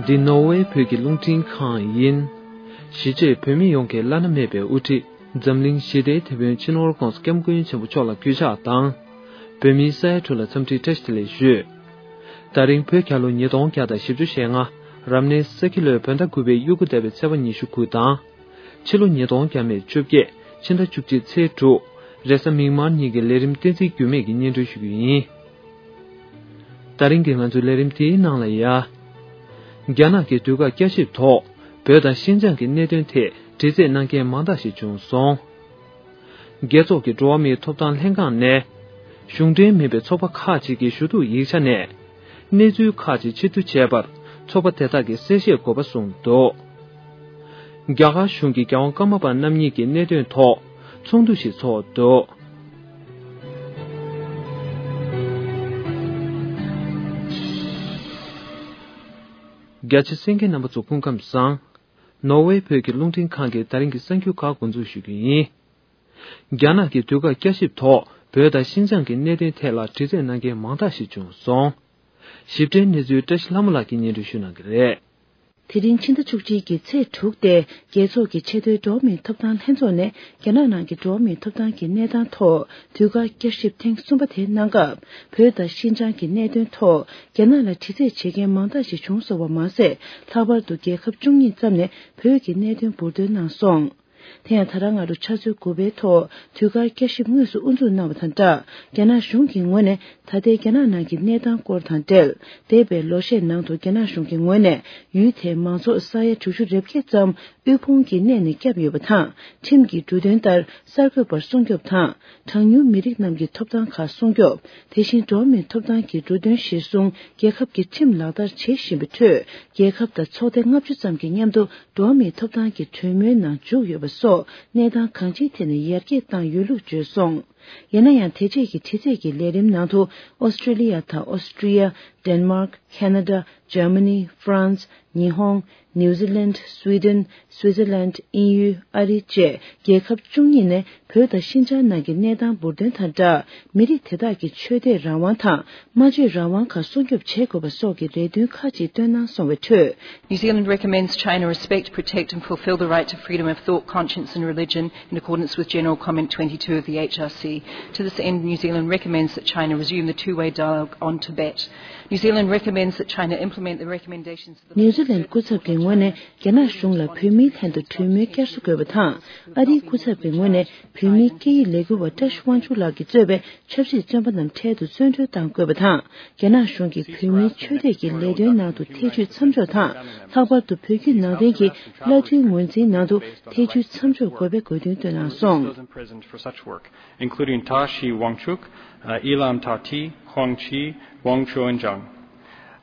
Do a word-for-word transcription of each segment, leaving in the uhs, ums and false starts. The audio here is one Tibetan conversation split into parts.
འདི་ནོར་ཝེ་བོད་ཀྱི་རླུང་འཕྲིན་ཁང་ཡིན། གཞིས་བྱེས་བོད་མི་ཡོངས་ཀྱི་བླ་ན་མེད་པའི་དབུ་ཁྲིད་འཛམ་གླིང་ཞི་བདེའི་དེད་དཔོན་སྤྱི་ནོར་༧གོང་ས་༧སྐྱབས་མགོན་ཆེན་པོ་མཆོག་ལ་གུས་ཕྱག་དང་། བོད་མིའི་ས་ཡ་དྲུག་ལ་འཚམས་འདྲིའི་བཀྲ་ཤིས་བདེ་ལེགས་ཞུ། ད་རིང་བོད་རྒྱལ་ལོ་ཉིས་སྟོང་བརྒྱ་དང་བཞི་བཅུ་ཞེ་ལྔ། རབ་གནས་ས་ཁྱི་ལོའི་བོད་ཟླ་དགུ་པའི་དབྱུག་གུ་ཟླ་བའི་ཚེས་པ་ཉི་ཤུ་དགུ་དང་། ཕྱི་ལོ་ཉིས་སྟོང་བརྒྱ་མེད་བཅོ་བརྒྱད། ཕྱི་ཟླ་བཅུ་གཅིག་ཚེས་དྲུག། རེས་གཟའ་མིག་དམར་ཉིན་གྱི་ལས་རིམ་བསྟན་འཛིན་འགྱུར་མེད་ཀྱིས་སྙན་སྒྲོན་ཞུ་རྒྱུ་ཡིན། ད་རིང་གི་ང་ཚོའི་ལས་རིམ་དེའི་ནང་ལ་ཡ། རྒྱ་ནག་གི་དུས་བཀག་བསྐྱར་ཞིབ་ཐོག་བོད་དང་ཤིན་ཅང་གི་གནད་དོན་ཐད་དྲི་རྩད་གནང་མཁན་མང་དག་ཞིག་བྱུང་སོང་། རྒྱལ་ཚོགས་ཀྱི་འགྲོ་བ་མིའི་ཐོབ་ཐང་ལྷན་ཁང་ནས། གཞུང་འབྲེལ་མིན་པའི་ཚོགས་པ་ཁག་ཅིག་གི་ཞུ་གཏུག་ཡིག་ཆ་ནས། གནས་ཚུལ་ཁག་ཅིག་ཕྱིར་བསྡུ་བྱས་པར་ཚོགས་པ་དེ་དག་གིས་གསལ་བཤད་དགོས་པ་གསུངས་འདུག། རྒྱ་གར་གཞུང་གིས་རྒྱལ་དབང་ཀརྨ་པ་རྣམ་གཉིས་ཀྱི་གནད་དོན་ཐོག་ཚོགས་འདུ་ཞིག་ཚོགས་འདུག། རྒྱ་ཆེ་གསན་མཁན་རྣམ་པ་ཚོ་སྐུ་ཁམས་བཟང་། ནོར་ཝེ་བོད་ཀྱི་རླུང་འཕྲིན་ཁང་གི་ད་རིང་གི་གསར་འགྱུར་ཁག་འགོ་འཛུགས་ཞུ་རྒྱུ་ཡིན། རྒྱ་ནག་གི་དུས་བཀག་བསྐྱར་ཞིབ་ཐོག་བོད་དང་ཤིན་ཅང་གི་གནད་དོན་ཐད་ལ་དྲི་རྩད་གནང་མཁན་མང་དག་ཞིག་བྱུང་སོང་། ཞིབ་ཕྲའི་གནས་ཚུལ་བཀྲ་ཤིས་ལྷ་མོ་ལགས་ཀྱིས་སྙན་སྒྲོན་ཞུ་གནང་གི་རེད། དེ་རིང་ཕྱི་ཟླ་བཅུ་གཅིག་གི་ཚེས་དྲུག་སྟེ། རྒྱལ་ཚོགས་ཀྱི་ཆེས་མཐོའི་འགྲོ་བ་མིའི་ཐོབ་ཐང་ལྷན་ཚོགས་ནས་རྒྱ་ནག་ནང་གི་འགྲོ་བ་མིའི་ཐོབ་ཐང་གི་གནས་སྟངས་ཐོག་དུས་བཀག་བསྐྱར་ཞིབ་ཐེངས་གསུམ་པ་དེ་གནང་སྐབས། བོད་དང་ཤིན་ཅང་གི་གནད་དོན་ཐོག་རྒྱ་ནག་ལ་དྲི་རྩད་བྱེད་མཁན་མང་དག་ཞིག་བྱུང་སོང་བ་མ་ཟད། ལྷག་པར་དུ་རྒྱལ་ཁབ་བཅུ་གཉིས་ཙམ་ནས་བོད་ཀྱི་གནད་དོན་འབུར་འདོན་གནང་སོང་། དེ་ཡང་ད་རང་སྔ་དྲོ་ཆུ་ཚོད་དགུ་པའི་ཐོག་དུས་བཀག་བསྐྱར་ཞིབ་དངོས་སུ་དབུ་འཛུགས་གནང་བ་དང་སྦྲགས། རྒྱ་ནག་གཞུང་གི་ངོས་ནས་ད་ལྟའི་རྒྱ་ནག་ནང་གི་གནས་སྟངས་སྐོར་དང་འབྲེལ། འདས་པའི་ལོ་ཤས་ནང་དུ་རྒྱ་ནག་གཞུང་གི་ངོས་ནས་ཡུལ་དེའི་མང་ཚོགས་ས་ཡ་དྲུག་ཅུ་རེ་བརྒྱད་ཙམ་དབུལ་ཕོངས་ཀྱི་གནས་ནས་བསྐྱབས་ཡོད་པ་དང་། ཁྲིམས་ཀྱི་འབྲུ་དོན་ལྟར་གསར་འགོད་པར་སྲུང་སྐྱོབ་དང་། གྲངས་ཉུང་མི་རིགས་རྣམས་ཀྱི་ཐོབ་ཐང་ཁག་སྲུང་སྐྱོབ། དེ་བཞིན་འགྲོ་བ་མིའི་ཐོབ་ཐང་གི་འབྲུ་དོན་གཞིར་བཟུང་རྒྱལ་ཁབ་ཀྱི་ཁྲིམས་ལག་བསྟར་བྱེད་བཞིན་པའི་ཁྲོད། རྒྱལ་ཁབ་དང་ཚོགས་སྡེ་ལྔ་བཅུ་ཙམ་གྱི་མཉམ་དུ། འགྲོ་བ་མིའི་ཐོབ་ཐང་གི་གྲོས་མོལ་ནང་འཇུག་ཡོད་པ་སོགས་གནས་སྟངས་གང་ཅིའི་ཐད་ནས་ཡར་རྒྱས་བཏང་ཡོད་ལུགས་བརྗོད་སོང་། ཡིན་ན་ཡང་། དེ་རྗེས་ཀྱི་དྲི་རྩད་ཀྱི་ལས་རིམ་ནང་དུ། ཨོ་སི་ཀྲི་ལི་ཡ་དང་ཨོ་སི་ཀྲི་ཡ། ཌེན་མཱག་ཁེ་ན་ཌ། འཇར་མ་ནི། ཧྥ་རན་སི། ཉི་ཧོང་། ནིའུ་ཛི་ལན། སུའི་ཌེན། སུའི་ཛར་ལན། དབྱིན་ཡུལ། ཨ་རི་བཅས་རྒྱལ་ཁབ་བཅུ་གཉིས་ནས། བོད་དང་ཤིན་ཅང་ནང་གི་གནས་སྟངས་འབུར་འདོན་དང་སྦྲགས། མི་རིགས་དེ་དག་གི་ཆོས་དད་རང་དབང་དང་སྨྲ་བརྗོད་རང་དབང་ཁག་སྲུང་སྐྱོབ་བྱེད་དགོས་པ་སོགས་ཀྱི་རེ་འདུན་ཁག་ཅིག་བཏོན་གནང་སོང་བའི་ཁྲོད། New Zealand recommends China respect, protect and fulfil the right to freedom of thought, conscience and religion in accordance with General Comment twenty-two of the H R C. To this end, New Zealand recommends that China resume the two-way dialogue on Tibet. New Zealand recommends that China implement the recommendations of the ནིའུ་ཛི་ལན་སྐུ་ཚབ་ཀྱི་ངོས་ནས། རྒྱ་ནག་གཞུང་ལ་བོད་མིའི་ལྷན་དུ་གྲོས་མོལ་བསྐྱར་གསོ་དགོས་པ་དང་། ཨ་རིའི་སྐུ་ཚབ་ཀྱི་ངོས་ནས་བོད་མིའི་སྐད་ཡིག་ལས་འགུལ་བ་བཀྲ་ཤིས་དབང་ཕྱུག་ལགས་ཀྱིས་གཙོས་པའི་ཆབ་སྲིད་བཙོན་པ་རྣམས་འཕྲལ་དུ་བཙོན་གྲོལ་གཏང་དགོས་པ་དང་། རྒྱ་ནག་གཞུང་གིས་བོད་མིའི་ཆོས་དད་ཀྱི་ལས་དོན་ནང་དུ་ཐེ་བྱུས་མཚམས་འཇོག་དང་། ལྷག་པར་དུ་བོད་བརྒྱུད་ནང་བསྟན་གྱི་བླ་མཐུན་ངོས་འཛིན་ནང་དུ་ཐེ་བྱུས་མཚམས་འཇོག་དགོས་པའི་དགོས་འདུན་བཏོན་གནང་སོང་། Those imprisoned for such work, including Tashi Wangchuk, uh, Ilam Tati, Huang Qi, Wang Chuanzhang.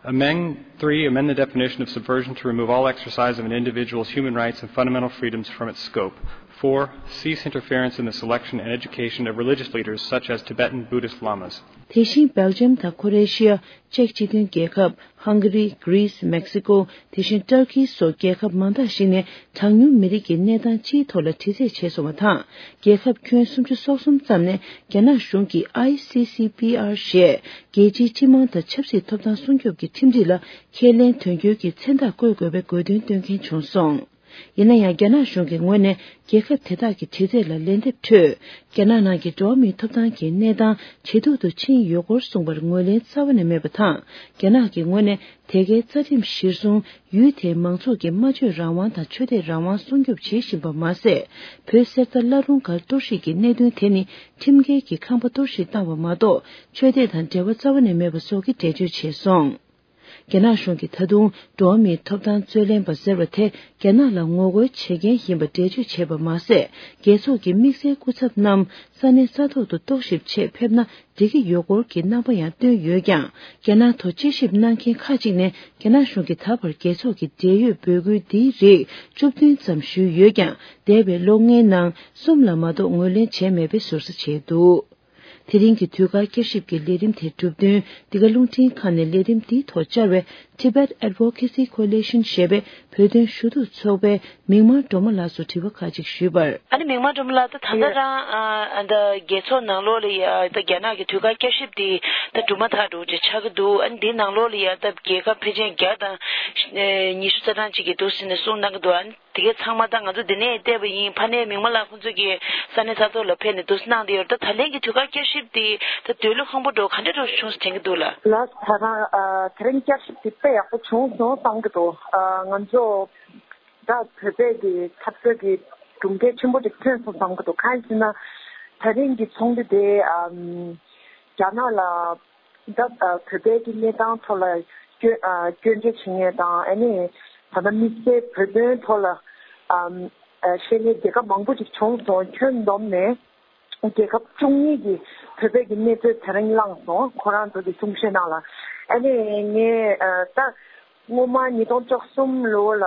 Amend, three, amend the definition of subversion to remove all exercise of an individual's human rights and fundamental freedoms from its scope. Four, cease interference in the selection and education of religious leaders such as Tibetan Buddhist lamas. དེ་བཞིན་སྦེལ་ཇམ་དང་ཁོ་རེ་ཤི་ཡ། ཅེཀ་སྤྱི་མཐུན་རྒྱལ་ཁབ། ཧང་ག་རི། གྷི་རིས། མེག་སི་ཀོ། དེ་བཞིན་ཏུར་ཀི་སོགས་རྒྱལ་ཁབ་མང་དག་ཞིག་ནས་གྲངས་ཉུང་མི་རིགས་ཀྱི་གནས་སྟངས་སྤྱིའི་ཐོག་ལ་དྲི་རྩད་བྱས་སོང་བ་དང་། རྒྱལ་ཁབ་ཁྱོན་སུམ་ཅུ་སོ་གསུམ་ཙམ་ནས་རྒྱ་ནག་གཞུང་གིས་ཨའི་སི་སི་པི་ཨར་ཞེས་རྒྱལ་སྤྱིའི་སྤྱི་དམངས་དང་ཆབ་སྲིད་ཐོབ་ཐང་སྲུང་སྐྱོབ་ཀྱི་ཁྲིམས་སྒྲིག་ལ་ཁས་ལེན་དོན་འཁྱོལ་གྱི་མཚན་རྟགས་བཀོད་དགོས་པའི་དགོས་འདུན་བཏོན་མཁན་བྱུང་སོང་། ཡིན་ན་ཡང་། རྒྱ་ནག་གཞུང་གི་ངོས་ནས་རྒྱལ་ཁབ་དེ་དག་གི་དྲི་རྩད་ལ་ལན་འདེབས་ཁྲོད། རྒྱ་ནག་ནང་གི་འགྲོ་བ་མིའི་ཐོབ་ཐང་གི་གནས་སྟངས་ཇེ་སྡུག་ཏུ་ཕྱིན་ཡོད་སྐོར་གསུངས་པར་ངོས་ལེན་རྩ་བ་ནས་མེད་པ་དང་། རྒྱ་ནག་གི་ངོས་ནས་དེ་གའི་རྩ་ཁྲིམས་གཞིར་བཟུང་ཡུལ་དེའི་མང་ཚོགས་ཀྱི་སྨྲ་བརྗོད་རང་དབང་དང་ཆོས་དད་རང་དབང་སྲུང་སྐྱོབ་བྱེད་བཞིན་པ་མ་ཟད། བོད་གསེར་རྟ་བླ་རུང་སྒར་གཏོར་བཤིག་གི་གནད་དོན་དེ་ནི་ཁྲིམས་འགལ་གྱི་ཁང་པ་གཏོར་བཤིག་བཏང་བ་མ་གཏོགས། ཆོས་དད་དང་འབྲེལ་བ་རྩ་བ་ནས་མེད་པ་སོགས་ཀྱི་འགྲེལ་བརྗོད་བྱས་སོང་། རྒྱ་ནག་གཞུང་གིས་ད་དུང་འགྲོ་བ་མིའི་ཐོབ་ཐང་རྩོད་ལེན་པ་ཟེར་བ་དེ་རྒྱ་ནག་ལ་ངོ་རྒོལ་བྱེད་མཁན་ཡིན་པ་འགྲེལ་བརྗོད་བྱས་པ་མ་ཟད། རྒྱལ་ཚོགས་ཀྱི་དམིགས་བསལ་སྐུ་ཚབ་རྣམས་ས་གནས་ས་ཐོག་ཏུ་རྟོག་ཞིབ་ཆེད་ཕེབས་ན་འགྲིག་གི་ཡོད་སྐོར་གྱི་རྣམ་པ་ཡང་བཏོན་ཡོད་ཀྱང་། རྒྱ་ནག་ཐོག་དཔྱད་ཞིབ་གནང་མཁན་ཁག་ཅིག་ནས་རྒྱ་ནག་གཞུང་གིས་ད་བར་རྒྱལ་ཚོགས་ཀྱི་འབྲེལ་ཡོད་འབོད་སྐུལ་འདིའི་རིགས་བཅུ་བདུན་ཙམ་ཞུས་ཡོད་ཀྱང་། འདས་པའི་ལོ་ལྔའི་ནང་གསུམ་ལ་མ་གཏོགས་ངོས་ལེན་བྱས་མེད་པའི་ཟུར་ཟ་བྱས་འདུག། དེ་རིང་གི་དུས་བཀག་བསྐྱར་ཞིབ་ཀྱི་ལས་རིམ་དེ་གྲུབ་དོན། འདི་ག་རླུང་འཕྲིན་ཁང་ནས་ལས་རིམ་འདིའི་ཐོག་བཅར་བའི་Tibet Advocacy Coalition ཞེས་པའི་བོད་དོན་ཞུ་གཏུག་ཚོགས་པའི་མིག་དམར་སྒྲོལ་མ་ལགས་སུ་དྲི་བ་ཁག་ཅིག་ཞུས་པར། ཨ་ནི་མིག་དམར་སྒྲོལ་མ་ལགས། ད་ད་ལྟ་རང་ཨ་ད་རྒྱལ་ཚོགས་ནང་ལོགས་ལ་ཡ་ད་རྒྱ་ནག་གི་དུས་བཀག་བསྐྱར་ཞིབ་དེ་ད་གྲུབ་མ་ཐག་འགྲོ་ཅིག་ཆགས་ཀྱི་འདུག་ཨ་ནི་འདིའི་ནང་ལོགས་ལ་ཡ་ད་རྒྱལ་ཁབ་ཕལ་ཆེར་བརྒྱ་དང་ཉི་ཤུ་རྩ་གྲངས་ཅིག་གིས་འདུག་ཟེར་ནས་གསུངས་གནང་གི་འདུག་ཨ་ནི་དེ་གའི་ཚང་མ་ད་ང་ཚོ་འདི་ནས་བལྟས་པ་ཡིན། ཕ་ནས་མིག་དམར་ལགས་ཁོང་ཚོས་ཀྱི་ས་གནས་ས་ཐོག་ལ་ཕེབས་ནས་འདུག་གནང་བསྡད་ཡོད་རེད། ད་ད་ལན་གྱི་དུས་བཀག་བསྐྱར་ཞིབ་དེ་ད་འདོད་བློ་ཁེངས་པོ་འདྲ་བོ་ག་འདྲ་འདྲ་བོ་བྱུང་ཟེར་དྲན་གྱི་འདུག་ལགས། ལགས། ད་རང་ཨ་དེ་རིང་བསྐྱར་ཞིབ་དེ་དཔེ་ཡག་པོ་བྱུང་སོང་བསམ་གྱི་འདུག་ཨ་ང་ཚོ་ད་བོད་པའི་གི་འཐབ་རྩོད་ཀྱི་གྲུབ་འབྲས་ཆེན་པོ་ཅིག་ཐོན་སོང་བསམ་གྱི་འདུག་གང་ཡིན་ཟེར་ན། ད་རིང་གི་ཚོགས་འདུ་དེ་ཨམ་རྒྱ་ནག་ལ། ད་ཨ་བོད་པའི་གི་གནས་སྟངས་ཐོག་ལ་སྐྱོན་ཨ་སྐྱོན་བརྗོད་བྱེད་མཁན་དང་། ཨ་ནི་ད་ལྟ་དམིགས་བསལ་བོད་དོན་ཐོག་ལ་ཨམ་ཨ་བཤད་མཁན་རྒྱལ་ཁབ་མང་པོ་ཅིག་བྱུང་སོང་། ཁྱོན་བསྡོམས་ནས་རྒྱལ་ཁབ་བཅུ་གཉིས་ཀྱིས་བོད་པའི་གི་གནས་ཚུལ་དེ་རིང་བླངས་སོང་། ཁོ་རང་ཚོ་གི་གསུང་བཤད་ནང་ལ། ཨ་ནི་ངས་ཨ་ད་སྔོན་མ་ཉིས་སྟོང་བཅུ་གསུམ་ལོ་ལ་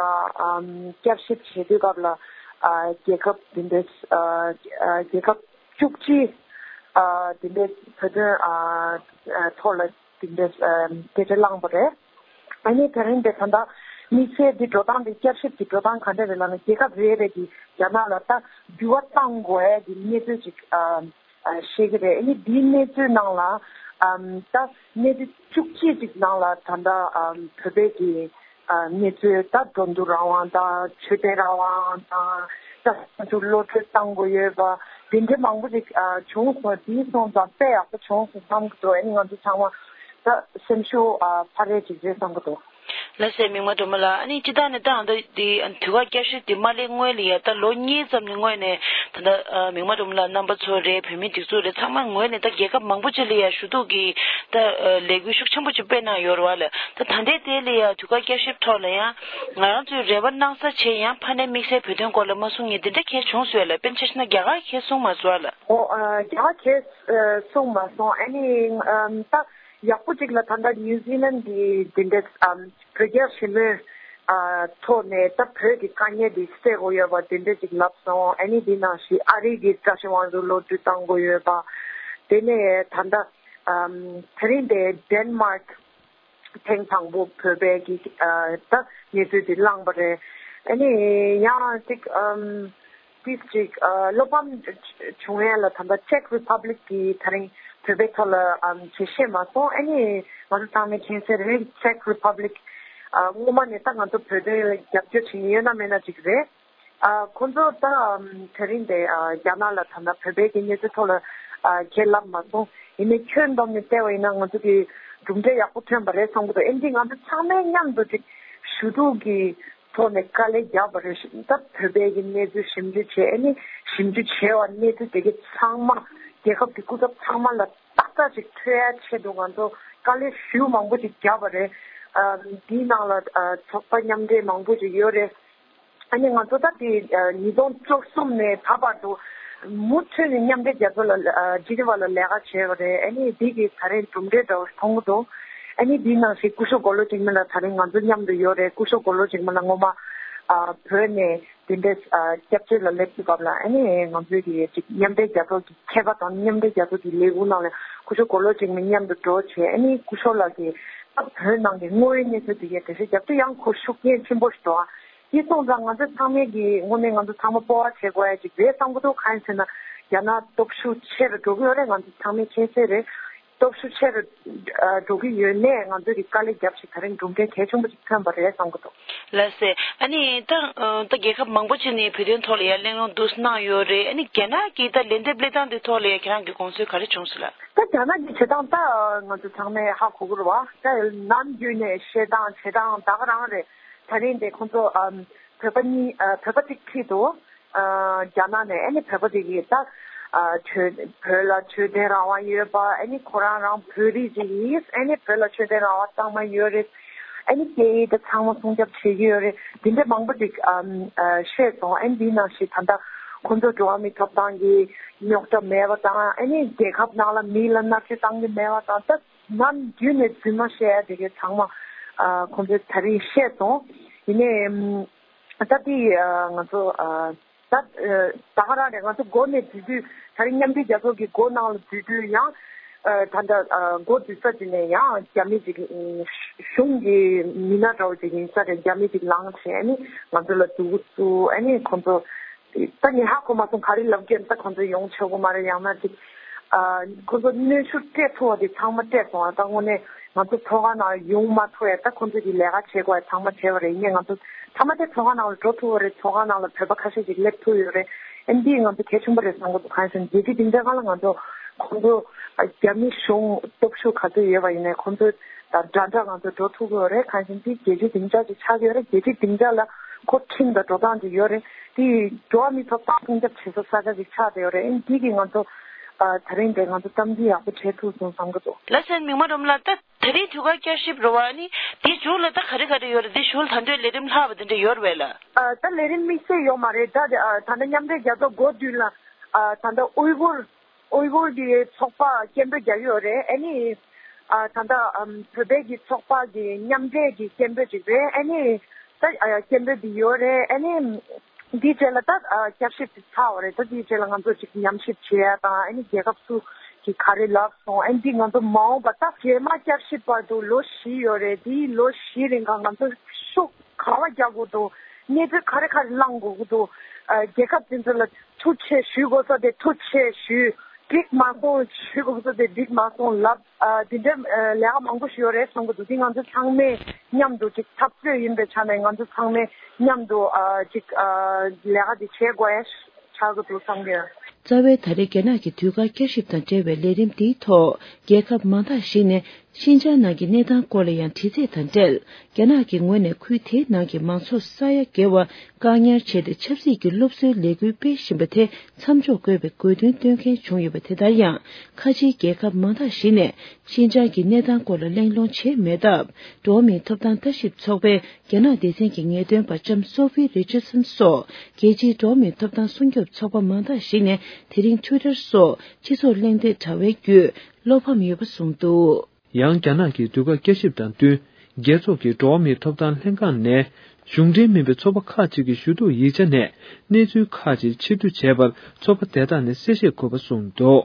ཨམ་བསྐྱར་ཞིབ་བྱེད་དུས་སྐབས་ལ་ཨ་རྒྱལ་ཁབ་དེ་འདྲ་ཨ་ཨ་རྒྱལ་ཁབ་བཅུ་གཅིག་ཨ་དེ་འདྲའི་བོད་དོན་ཨ་ཨ་ཐོག་ལ་དེ་འདྲའི་ཨ་སྐད་ཆ་བླངས་པ་རེད། ཨ་ནི་དེ་རིང་དེ་ད་ལྟ་དམིགས་བསལ་འདི་འགྲོ་སྟངས་དེ་བསྐྱར་ཞིབ་ཀྱི་འགྲོ་སྟངས་ག་འདྲ་རེད་ལབ་ན། རྒྱལ་ཁབ་རེ་རེ་གིས་རྒྱ་ནག་ལ་ད་འགྱུར་བ་གཏང་དགོས་ཡ་གི་གནས་ཚུལ་ཅིག་ཨ་ཨ་བཤད་ཀྱི་རེད། ཨ་ནི་འདིའི་གནས་ཚུལ་ནང་ལ་ཨམ་ད་གནས་ཚུལ་བཅུ་གཅིག་ཅིག་ནང་ལ་ད་ལྟ་ཨམ་བོད་པའི་གི་ཨ་གནས་ཚུལ་ད་འགྲོ་འདུག་རང་དབང་དང་། ཆོས་དད་རང་དབང་དང་། ད་ང་ཚོ་བློ་གྲོས་གཏང་དགོས་ཡོད་པ། དེ་འདྲ་མང་པོ་ཞིག་ཨ་བྱུང་སོང་། དེ་སོང་ཙང་དཔེ་ཡག་པོ་བྱུང་སོང་བསམ་གྱི་འདུག་ཨ་ནི་ང་ཚོ་ཚང་མ་ད་སེམས་ཤུགས་ཨ་འཕར་ཡས་ཅིག་རེད་བསམ་གྱི་འདུག་ལགས་སེ། མིག་དམར་སྒྲོལ་མ་ལགས། ཨ་ནི་སྤྱིར་བཏང་ནས་ད་ད་འདི་དུས་བཀག་བསྐྱར་ཞིབ་འདི་མ་སླེབས་སྔོན་ལ་ཡ་ད་ལོ་གཉིས་ཙམ་ནས་སྔོན་ནས་ད་ལྟ་ཨ་མིག་དམར་སྒྲོལ་མ་ལགས་རྣམ་པ་ཚོ་རེད། བོད་མི་སྒྲིག་འཛུགས་རེད། ཚང་མ་ངོས་ནས་ད་རྒྱལ་ཁབ་མང་པོ་ཅིག་ལ་ཡ་ཞུ་གཏུག་གི་ད་ལས་འགུལ་ཤུགས་ཆེན་པོ་ཅིག་སྤེལ་གནང་ཡོད་རེད་བ་ལགས། ད་ད་ལྟའི་དེ་ལ་ཡ་དུས་བཀག་བསྐྱར་ཞིབ་ཐོག་ལ་ཡང་ང་རང་ཚོའི་རེ་བ་གནང་ས་བྱས་ཡང་ཕ་ནས་དམིགས་བསལ་བོད་དོན་སྐོར་ལ་མ་གསུང་མཁན་དེ་འདྲ་གང་ཡང་བྱུང་སོང་ལགས། དཔེར་ན་ཆ་བཞག་ན་རྒྱ་གར་གང་ཡང་གསུངས་མ་སོང་ལགས། ཨོ་ཨ་རྒྱ་གར་གང་ཡང་གསུངས་མ་སོང་། ཨ་ནི་ཨམ་ད་ཡག་པོ་ཅིག་ལ་ད་ལྟ་ནིའུ་ཛི་ལན་གྱི་དེ་འདྲ་ཨམ་བོད་རྒྱ་ཞི་མོལ་ཨ་ཐོག་ནས་ད་བོད་ཀྱི་དཀའ་ངལ་འདི་སེལ་དགོས་ཡོད་པ་དེ་འདྲ་ཅིག་ལབ་སོང་། ཨ་ནི་འདི་ནང་བཞིན་ཨ་རི་གི་བཀྲ་ཤིས་དབང་འདུས་གློད་གྲོལ་གཏང་དགོས་ཡོད་པ། དེ་ནས་ད་ལྟ་ཨམ་དེ་རིང་དེ་ཌེན་མཱརཀ་ཐེངས་དང་པོ་བོད་པའི་གི་ཨ་ད་གནས་ཚུལ་འདི་བླངས་པ་རེད། ཨ་ནི་ཡང་ཅིག་ཨམ་ཏིས་ཅིག་ཨ་བློ་ཕམ་བྱུང་ཡས་ལ་ད་ལྟ་ཅེག་རི་པབ་ལིག་གི་དེ་རིང་བོད་པའི་ཐོག་ལ་ཨམ་ཞལ་བཞེས་མ་སོང་། ཨ་ནི་ང་ཚོ་ཚང་མས་མཁྱེན་གསལ་རེད། ཅེག་རི་པབ་ལིག་ཨ་སྔོན་མ་ནས་ད་ང་ཚོ་བོད་དོན་ལ་རྒྱབ་སྐྱོར་བྱེད་མཁན་ཡོད་ན་མེད་ན་ཅིག་རེད། ཨ་ཁོང་ཚོ་ད་ཨམ་དེ་རིང་དེ་ཨ་རྒྱ་ནག་ལ་ད་ལྟ་བོད་པའི་གི་གནས་ཚུལ་ཐོག་ལ་ཨ་ཁས་ལེན་མ་སོང་། ཡིན་ནའི་ཁྱོན་བསྡོམས་ནས་བལྟས་པ་ཡིན་ན་ང་ཚོ་གི་གྲུབ་འབྲས་ཡག་པོ་ཐོན་པ་རེད་བསམ་གྱི་འདུག་ཨ་ནི་འདི་ང་ཚོ་ཚང་མས་མཉམ་དུ་ཅིག་ཞུ་གཏུག་གི་ཐོག་ནས་དཀའ་ལས་བརྒྱབ་པ་རེད། ད་བོད་པའི་གི་གནས་ཚུལ་ཞིབ་འཇུག་བྱས། ཨ་ནི་ཞིབ་འཇུག་བྱས་པ་གནས་ཚུལ་དེ་གའི་ཚང་མ་རྒྱལ་ཁབ་ཀྱི་སྐུ་ཚབ་ཚང་མ་ལ་ཏག་ཏག་ཅིག་ཐོན་ཡ་ཆེད་དུ་ང་ཚོ་དཀའ་ལས་ཞེ་པོ་མང་པོ་ཅིག་བརྒྱབ་པ་རེད། ཨ་འདིའི་ནང་ལ་ཨ་ཚོགས་པ་མཉམ་འབྲེལ་མང་པོ་ཅིག་ཡོད་རེད། ཨ་ནི་ང་ཚོ་ད་དེ་ཨ་ཉིས་སྟོང་བཅུ་གསུམ་ནས་ད་བར་དུ་མུ་མཐུད་ནས་མཉམ་འབྲེལ་རྒྱལ་ཚོགས་ལ་ཨ་ཇི་ནི་ཝ་ལ་ལས་ཀ་བྱས་པ་རེད། ཨ་ནི་འདི་གི་ད་རེས་གྲུབ་འབྲས་འདྲ་བོ་མཐོང་གི་འདུག་ཨ་ནི་འདིའི་ནང་བཞིན་སྐུ་ཞབས་མགོ་ལོག་འཇིགས་མེད་ལགས་ད་རེས་ང་ཚོ་མཉམ་དུ་ཡོད་རེད། སྐུ་ཞབས་མགོ་ལོག་འཇིགས་མེད་ལགས་སྔོན་མ་ཨ་བོད་ནས་དེ་འདྲའི་ཨ་སྐྱབས་བཅོལ་ལ་སླེབས་དུས་སྐབས་ལ། ཨ་ནི་ང་ཚོའི་གི་ཅིག་མཉམ་འབྲེལ་རྒྱལ་ཚོགས་ཀྱི་མཁས་པ་དང་མཉམ་འབྲེལ་རྒྱལ་ཚོགས་ཀྱི་ལས་ཁུངས་ནང་ལ་སྐུ་ཞབས་མགོ་ལོག་འཇིགས་མེད་མཉམ་དུ་འགྲོ་བྱས། ཨ་ནི་སྐུ་ཞབས་ལགས་ཀྱིས་ད་བོད་ནང་གི་དངོས་ཡོད་གནས་ཚུལ་དེ་གའི་འགྲེལ་བཤད་རྒྱབ་དུས་ཡང་ཁོ་ཤུགས་རྐྱེན་ཆེན་པོ་ཞིག་འདུག་ཨ། དེ་སོང་ཙང་ང་ཚོ་ཚང་མས་ཀྱི་དངོས་གནས་ང་ཚོ་ཚང་མ་སྤོབས་པ་བྱེད་དགོས་ཡ་ཅིག་རེད་བསམ་གྱི་འདུག་གང་ཡིན་ཟེར་ན་རྒྱ་ནག་སྟོབས་ཤུགས་ཆེ་རུ་འགྲོ་གི་ཡོད་རེད། ང་ཚོ་ཚང་མས་མཁྱེན་གསལ་རེད། སྟོབས་ཤུགས་ཆེ་རུ་ཨ་འགྲོ་གི་ཡོད་ནས་ང་ཚོས་ཀྱི་དཀའ་ལས་བརྒྱབ་ཞིག་ད་རིང་གྲུབ་འབྲས་གལ་ཆེན་པོ་ཅིག་ཐོན་པ་རེད་བསམ་གྱི་འདུག་ལགས་སེ། ཨ་ནི་ད་ཨ་ད་རྒྱལ་ཁབ་མང་པོ་ཅིག་ནས་བོད་དོན་ཐོག་ལ་ཡ་གླེང་སློང་འདུག་གནང་ཡོད་རེད། ཨ་ནི་རྒྱ་ནག་གི་ད་ལན་འདེབས་སླེབས་སྟངས་དེ་ཐོག་ལ་ཡ་ཁྱེད་རང་གི་དགོངས་ཚུལ་ག་རེ་བྱུང་སོང་ལགས། ད་རྒྱ་ནག་གི་བྱེད་སྟངས་ད་ང་ཚོ་ཚང་མས་ཧ་གོ་གི་རེད་བ། ད་ནམ་རྒྱུན་ནས་བཤད་སྟངས་བྱེད་སྟངས་ད་ག་རང་རེད། ད་རིང་དེ་ཁོང་ཚོ་ཨམ་བོད་པ་གཉིས་ཨ་བོད་པ་གཅིག་ཁྲིད་དུ་ཨ་རྒྱ་ནག་ནས། ཨ་ནི་བོད་པ་དེ་གིས་ད་ཨ་ཆོས་བོད་ལ་ཆོས་དད་རང་དབང་ཡོད་པ། ཨ་ནི་ཁོ་རང་རང་བོད་རིགས་ཅིག་ཡིན། ཨ་ནི་བོད་ལ་ཆོས་དད་རང་དབང་གཙང་མ་ཡོད་རེད། ཨ་ནི་སྐད་ཡིག་དེ་ཚང་མ་སྲུང་སྐྱོབ་བྱེད་ཀྱི་ཡོད་རེད། དེ་འདྲ་མང་པོ་ཅིག་ཨམ་ཨ་བཤད་སོང་། ཨ་ནི་འདི་ནང་བཞིན་ད་ལྟ་ཁོང་ཚོ་འགྲོ་བ་མིའི་ཐོབ་ཐང་གི་རྙོག་དྲ་མེད་པ་དང་། ཨ་ནི་རྒྱལ་ཁབ་ནང་ལ་མི་ལ་མནར་གཅོད་བཏང་གི་མེད་པ་དང་། ད་ནམ་རྒྱུན་ནས་རྫུན་མ་བཤད་ཡ་དེ་གའི་ཚང་མ་ཨ་ཁོང་ཚོས་ད་རིང་བཤད་སོང་། ཡིན་ནའི་ཨམ་ད་དེ་ཨ་ང་ཚོ་ཨ། ད་ག་རང་རེད། ང་ཚོ་འགོ་ནས་འཛུལ་དུས་ད་རིང་མཉམ་འབྲེལ་རྒྱལ་ཚོགས་ཀྱི་འགོ་ནང་ལ་འཛུལ་དུས་ཡང་ད་ལྟ་འགོ་འཛུལ་ས་དེ་ནས་ཡང་རྒྱ་མི་ཅིག་གཞུང་གི་མི་སྣ་འདྲ་བོ་ཅིག་ཡིན་ས་རེད། རྒྱ་མི་ཅིག་ལངས་བྱས་ཨ་ནི་ང་ཚོ་ལ་སྡུག་གུ་བཙུགས། ཨ་ནི་ཁོང་ཚོ་ད་ངས་ཧ་གོ་མ་སོང་ག་རེ་ལབ་ཀྱི་ཡོད། ད་ཁོང་ཚོ་ཡོང་ཆོག་གི་མ་རེད། ཡང་ན་ཅིག་ཁོང་ཚོ་གནོན་ཤུགས་སྤྲད་ཐུབ་པ་དེ་ཚང་མ་སྤྲད་སོང་། ད་དངོས་གནས་ང་ཚོ་ཚོགས་ཁང་ནང་ཡོང་མ་ཐུབ་ཡ། ད་ཁོང་ཚོས་ཀྱི་ལས་ཀ་བྱེད་དགོས་ཡ་ཚང་མ་བྱས་པ་རེད། ཡིན་ནའི་ང་ཚོ་ཐ་མ་དེ་ཚོགས་ཁང་ནང་ལ་འགྲོ་ཐུབ་པ་རེད། ཚོགས་ཁང་ནང་ལ་བོད་པ་ཁ་ཤས་ཤིག་སླེབས་ཐུབ་ཡོད་རེད། ཨ་འདི་ང་ཚོ་གལ་ཆེན་པོ་རེད་བསམ་གྱི་འདུག་གང་ཡིན་ཟེར་ན་རྒྱལ་སྤྱིའི་སྡིངས་ཆ་སྒང་ལ་ང་ཚོ་ཁོང་ཚོ་རྒྱ་མི་གཞུང་སྟོབས་ཤུགས་ག་ཚོད་ཡོད་པ་ཡིན་ནའི་ཁོང་ཚོ་དང་འདྲ་འདྲ་ང་ཚོ་འགྲོ་ཐུབ་ཀྱི་ཡོད་རེད། གང་ཡིན་ཟེར་ན་རྒྱལ་སྤྱིའི་སྡིངས་ཆ་ཅིག་ཆགས་ཀྱི་ཡོད་རེད། རྒྱལ་སྤྱིའི་སྡིངས་ཆ་ལ་ཁོ་ཁྲིམས་དང་འགྲོ་སྟངས་ཅིག་ཡོད་རེད། དེ་འགྲོ་བ་མིའི་ཐོབ་ཐང་སྲུང་སྐྱོབ་བྱེད་ས་ས་ཆ་ཅིག་ཆགས་བསྡད་ཡོད་རེད། ཨ་འདི་གིས་ང་ཚོ་ཨ་ད་རིང་དེ་ང་ཚོ་གཏམ་རྒྱུད་ཡག་པོ་བྱེད་ཐུབ་སོང་བསམ་གྱི་འདུག་ལགས་སོ། མིག་དམར་སྒྲོལ་མ་ལགས། ད་ད་རེས་དུས་བཀག་བསྐྱར་ཞིབ་རེད་བ། ཨ་ནི་དེའི་མཇུག་ལ་ད་ག་རེ་ག་རེ་ཡོད་རེད། དེ་གཞུག་ལ་ད་དུང་ལས་རིམ་ལྷག་པ་དེ་འདྲ་ཡོད་རེད་པས་ལགས། ཨ་ད་ལས་རིམ་དམིགས་བསལ་ཡོད་མ་རེད། ད་ད་ལྟ་མཉམ་འབྲེལ་རྒྱལ་ཚོགས་འགོ་བསྡུས་ལ་ཨ་ད་ལྟ་ཨུའི་གུར་ཨུའི་གུར་གྱི་ཚོགས་པ་སྐད་འབོད་རྒྱག་གི་ཡོད་རེད། ཨ་ནི་ཨ་ད་ལྟ་ཨམ་བོད་པའི་གི་ཚོགས་པ་གི་མཉམ་འབྲེལ་གྱི་སྐད་འབོད་ཅིག་རེད། ཨ་ནི་ད་ཨ་སྐད་འབོད་འདི་ཡོད་རེད། ཨ་ནི་འདིའི་རྗེས་ལ་ད་ཨ་བསྐྱར་ཞིབ་ཅིག་ཚར་བ་རེད། ད་འདིའི་རྗེས་ལ་ང་ཚོ་ཅིག་ཉམས་ཞིབ་བྱེད་ཡ་དང་། ཨ་ནི་རྒྱལ་ཁབ་སུ་གི་ག་རེ་ལབ་སོང་། ཨ་ནི་འདི་ང་ཚོ་མ་འོངས་པ་ད་རྗེས་མ་བསྐྱར་ཞིབ་བར་དུ་ལོ་བཞི་ཡོད་རེད། འདིའི་ལོ་བཞིའི་རིང་ག་ང་ཚོ་ཤུགས་ག་བ་རྒྱག་དགོས་འདུག་གནས་ཚུལ་ག་རེ་ག་རེ་བླང་དགོས་ཀྱི་འདུག་ཨ་རྒྱལ་ཁབ་དེ་ཚོ་ལ་ཐུགས་རྗེ་ཆེ་ཞུ་དགོས་ས་དེ་ཐུགས་རྗེ་ཆེ་ཞུ། འགྲིག་མ་སོང་ཞུ་དགོས་ས་དེ་འགྲིག་མ་སོང་ལབ། ཨ་དེ་འདྲའི་ཨ་ལས་ཀ་མང་པོ་ཞིག་ཡོད་རེད་བསམ་གྱི་འདུག་དེ་ང་ཚོ་ཚང་མས་མཉམ་དུ་ཅིག་འཐབ་རྩོད་ཡིན་པའི་ཆ་ནས་ང་ཚོ་ཚང་མས་མཉམ་དུ་ཨ་ཅིག་ཨ་ལས་ཀ་དེ་བྱེད་དགོས་ཡ་ཆགས་ཀྱི་འདུག་བསམ་གྱི་ཡོད། རྩ་བའི་ད་རེས་རྒྱ་ནག་གི་དུས་བཀག་བསྐྱར་ཞིབ་དང་འབྲེལ་བའི་ལས་རིམ་འདིའི་ཐོག་རྒྱལ་ཁབ་མང་དག་ཞིག་ནས་ཤིན་ཅང་ནང་གི་གནས་སྟངས་སྐོར་ལ་ཡང་དྲི་རྩད་དང་འབྲེལ། རྒྱ་ནག་གི་ངོས་ནས་ཁུལ་དེའི་ནང་གི་མང་ཚོགས་ས་ཡ་བརྒལ་བ་བཀག་ཉར་བྱས་ཏེ། ཆབ་སྲིད་ཀྱི་སློབ་གསོའི་ལས་འགུལ་སྤེལ་བཞིན་པ་དེ་མཚམས་འཇོག་དགོས་པའི་དགོས་འདུན་བཏོན་མཁན་བྱུང་ཡོད་པ། དེ་ལྟར་ཡང་ཁ་ཆེའི་རྒྱལ་ཁབ་མང་དག་ཞིག་ནས་ཤིན་ཅང་གི་གནས་སྟངས་སྐོར་ལ་གླེང་སློང་བྱས་མེད་སྟབས། འགྲོ་བ་མིའི་ཐོབ་ཐང་ལྟ་ཞིབ་ཚོགས་པའི་རྒྱ་ནག་སྡེ་ཚན་གྱི་ངེས་སྟོན་པ་ལྕམ་སོ་ཕི་རི་ཅར་སན་སོགས་རྒྱལ་སྤྱིའི་འགྲོ་བ་མིའི་ཐོབ་ཐང་སྲུང་སྐྱོབ་ཚོགས་པ་མང་དག་ཞིག་ནས་དེ་རིང་ཊུའི་ཊར་སོགས་སྤྱི་ཚོགས་གླེང་སྟེགས་དྲ་བའི་བརྒྱུད་བློ་ཕམ་ཡོད་པ་གསུངས་འདུག་ཡང་རྒྱ་ནག་གི་དུས་བཀག་བསྐྱར་ཞིབ་དང་བསྟུན། རྒྱལ་ཚོགས་ཀྱི་འགྲོ་བ་མིའི་ཐོབ་ཐང་ལྷན་ཁང་ནས། གཞུང་འབྲེལ་མིན་པའི་ཚོགས་པ་ཁག་ཅིག་གི་ཞུ་གཏུག་ཡིག་ཆ་ནས། གནས་ཚུལ་ཁག་ཅིག་ཕྱིར་བསྡུ་བྱས་པར། ཚོགས་པ་དེ་དག་ནས་གསལ་བཤད་དགོས་པ་གསུངས་འདུག་